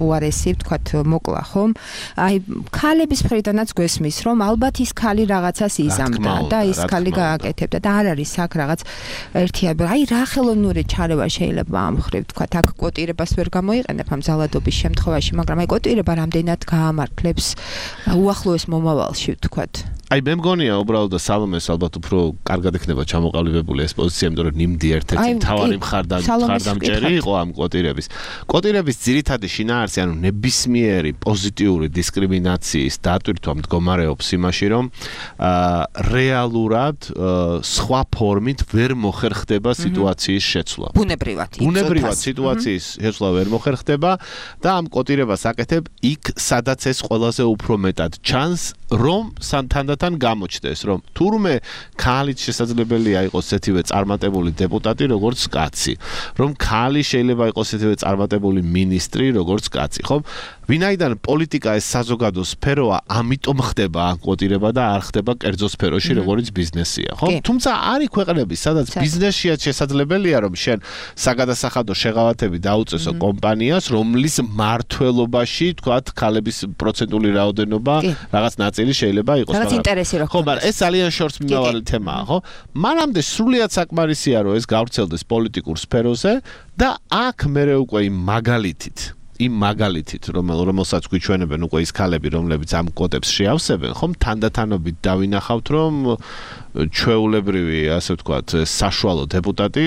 უარესი, ვთქვათ, მოკლა, ხომ? აი, ქალების მხრიდანაც გვესმის, რომ ალბათ ის ქალი რაღაცას იზამდა და ის ქალი გააკეთებდა და არ არის აქ რაღაც ერთიანი. აი, რა ხელოვნური ჩარევა შეიძლება ამ ხრივ, ვთქვათ, აქ კვოტირებას ვერ გამოიყენებ ამ ძალადობის შემთხვევაში, მაგრამ აი კვოტირება რამდენად გაამართლებს უახლოეს მომავალში, ვთქვათ. აი მე მგონია უბრალოდ და სალომეს ალბათ უფრო კარგად ექნება ჩამოყალიბებული ეს პოზიცია, იმიტომ რომ ნიმდი ერთ-ერთი მთავარი მხარდამჭერი იყო ამ კვოტირების. კვოტირების ძირითადი შინაარსი, ანუ ნებისმიერი პოზიტიური დისკრიმინაციის დატვირთვა მდგომარეობს იმაში, რომ რეალურად სხვა ფორმით ვერ მოხერხდება სიტუაციის შეცვლა. ბუნებრივად. ბუნებრივად სიტუაციის შეცვლა ვერ მოხერხდება და ამ კვოტირებას აკეთებ იქ, სადაც ეს ყველაზე უფრო მეტად ჩანს, რომ თანდათან გამოჩნდეს, რომ თურმე ქალიც შესაძლებელია იყოს ესეთივე წარმატებული დეპუტატი, როგორც კაცი, რომ ქალი შეიძლება იყოს ესეთივე წარმატებული მინისტრი, როგორც კაცი, ხო? ვინაიდან პოლიტიკა ეს საზოგადო სფეროა, ამიტომ ხდება ამ კვოტირება და არ ხდება კერძო სფეროში, როგორც ბიზნესია, ხო? თუმცა არის ქვეყნები, სადაც ბიზნესშია შესაძლებელია, რომ შენ საგადასახადო შეღავათები დაუწესო კომპანიას, რომლის მმართველობაში, თქვათ, ქალების პროცენტული რაოდენობა რაღაც ნაწილი შეიძლება იყოს, რაღაც ინტერესი რო ხო, მაგრამ ეს ძალიან შორს მიმავალი თემაა, ხო? მანამდე სრულიად საკმარისია, რომ ეს გავრცელდეს პოლიტიკურ სფეროზე და აქ მერე უკვე იმ მაგალითით იმ მაგალითით, რომელ რომელსაც გვიჩვენებენ უკვე ის ქალები, რომლებიც ამ კვოტებს შეავსებენ, ხომ თანდათანობით დავინახავთ, რომ ჩვეულებრივი, ასე ვთქვათ, საშუალო დეპუტატი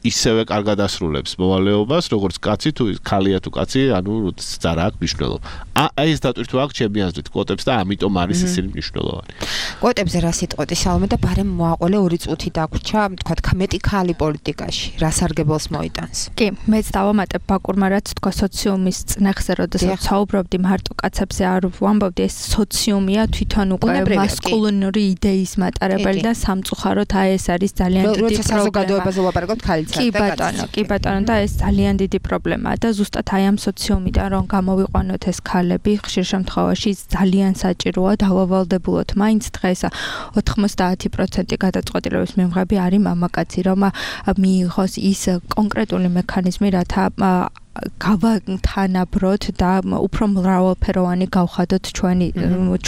ისევე კარგად ასრულებს მოვალეობას, როგორც კაცი თუ ქალია თუ კაცი, ანუ ზარა აქვს მნიშვნელობა. აი ეს დატვირთვა აქვს ჩემი აზრით კვოტებს და ამიტომ არის ისინი მნიშვნელოვანი. კვოტებზე რა სიტყვეთი სალომე და ბარემ მოაყოლე ორი წუთი დაგვრჩა, თქვათ, მეტი ქალი პოლიტიკაში, რა სარგებელს მოიტანს. კი, მეც დავამატებ ბაკურმა რაც თქვა სოციუმის წნეხზე, როდესაც საუბრობდი მარტო კაცებზე არ ვამბობდი, ეს სოციუმია თვითონ უკვე მასკულინური იდეის მატარებელი და სამწუხაროდ აი ეს არის ძალიან დიდი პრობლემა. საზოგადოებაზე ვაპარაკობთ ქალიც კი ბატონო, კი ბატონო და ეს ძალიან დიდი პრობლემაა და ზუსტად აი ამ სოციუმიდან რომ გამოვიყვანოთ ეს ქალები, ხშირ შემთხვევაში ძალიან საჭიროა დავავალდებულოთ. მაინც დღეს ოთხმოცდაათი პროცენტი გადაწყვეტილების მიღები არის მამაკაცი, რომ მიიღოს ის კონკრეტული მექანიზმი, რათა გავათანაბროთ და უფრო მრავალფეროვანი გავხადოთ ჩვენი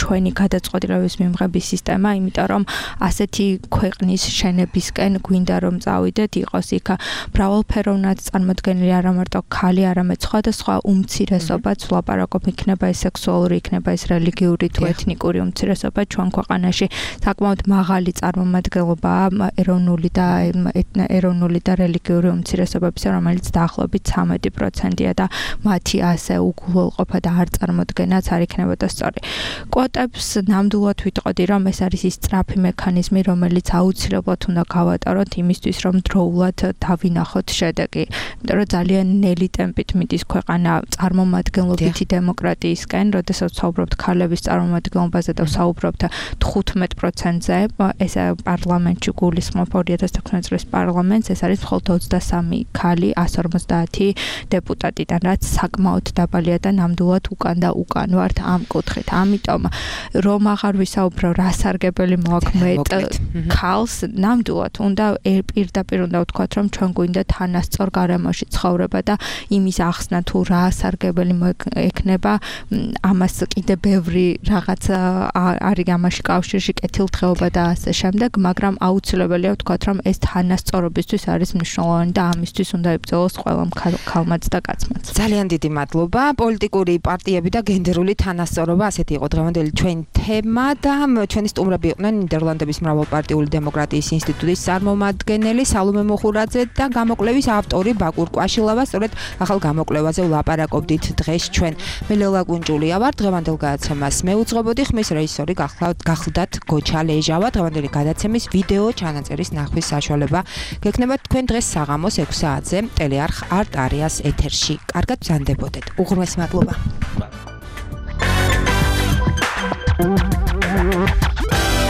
ჩვენი გადაწყვეტილების მიღების სისტემა, იმიტომ რომ ასეთი ქვეყნის შენებისკენ გვინდა რომ წავიდეთ, იყოს იქ მრავალფეროვნად წარმოდგენილი არა მარტო ქალი, არამედ სხვადასხვა უმცირესობაც, ვლაპარაკობ, იქნება ეს სექსუალური, იქნება ეს რელიგიური თუ ეთნიკური უმცირესობა ჩვენ ქვეყანაში საკმაოდ მაღალი წარმომადგენლობაა ეროვნული და ეროვნული და რელიგიური უმცირესობებისა, რომელიც დაახლოებით ცამეტი პროცენტია და მათი ასე უგულველყოფა და არ წარმოდგენაც არ იქნებოდა სწორი. კვოტებს ნამდვილად ვიტყოდი, რომ ეს არის ის სწრაფი მექანიზმი, რომელიც აუცილებლად უნდა გავატაროთ იმისთვის, რომ დროულად დავინახოთ შედეგი. იმიტომ რომ ძალიან ნელი ტემპით მიდის ქვეყანა წარმომადგენლობითი დემოკრატიისკენ, როდესაც ვსაუბრობთ ქალების წარმომადგენლობაზე და ვსაუბრობთ თხუთმეტ პროცენტზე, ეს პარლამენტში გულისხმობ ორი ათას თექვსმეტ წლის პარლამენტს, ეს არის მხოლოდ ოცდასამი ქალი ასი ორმოცდაათი დეპუტატიდან, რაც საკმაოდ დაბალია და ნამდვილად უკან და უკან ვართ ამ კუთხით. ამიტომ რომ აღარ ვისაუბრო რა სარგებელი მოაქვს ქალს, ნამდვილად უნდა პირდაპირ უნდა ვთქვათ, რომ ჩვენ გვინდა თანასწორ გარემოში ცხოვრება და იმის ახსნა თუ რა სარგებელი ექნება, ამას კიდე ბევრი რაღაც არის ამაში კავშირში, კეთილდღეობა და ასე შემდეგ, მაგრამ აუცილებელია ვთქვათ, რომ ეს თანასწორობისთვის არის მნიშვნელოვანი და ამისთვის უნდა იბრძოლოს ყველამ ქალმაც და და კაცმაც. ძალიან დიდი მადლობა. პოლიტიკური პარტიები და გენდერული თანასწორობა, ასეთი იყო დღევანდელი ჩვენი თემა და ჩვენი სტუმრები იყვნენ ნიდერლანდების მრავალპარტიული დემოკრატიის ინსტიტუტის წარმომადგენელი სალომე მოხურაძე და გამოკვლევის ავტორი ბაკურ კვაშილავა. სწორედ ახალ გამოკვლევაზე ვლაპარაკობდით დღეს ჩვენ. მე ლელა კუნჭულია ვარ. დღევანდელ გადაცემას მე უძღვებოდი, ხმის რეჟისორი გახლდათ გოჩა ლეჟავა. დღევანდელი გადაცემის ვიდეო ჩანაწერის ნახვის საშუალება გექნებათ თქვენ დღეს საღამოს ექვს საათზე ტელეარხ არტ არიას ეთერში. კარგად ბრძანდებოდეთ. უღრმესი მადლობა.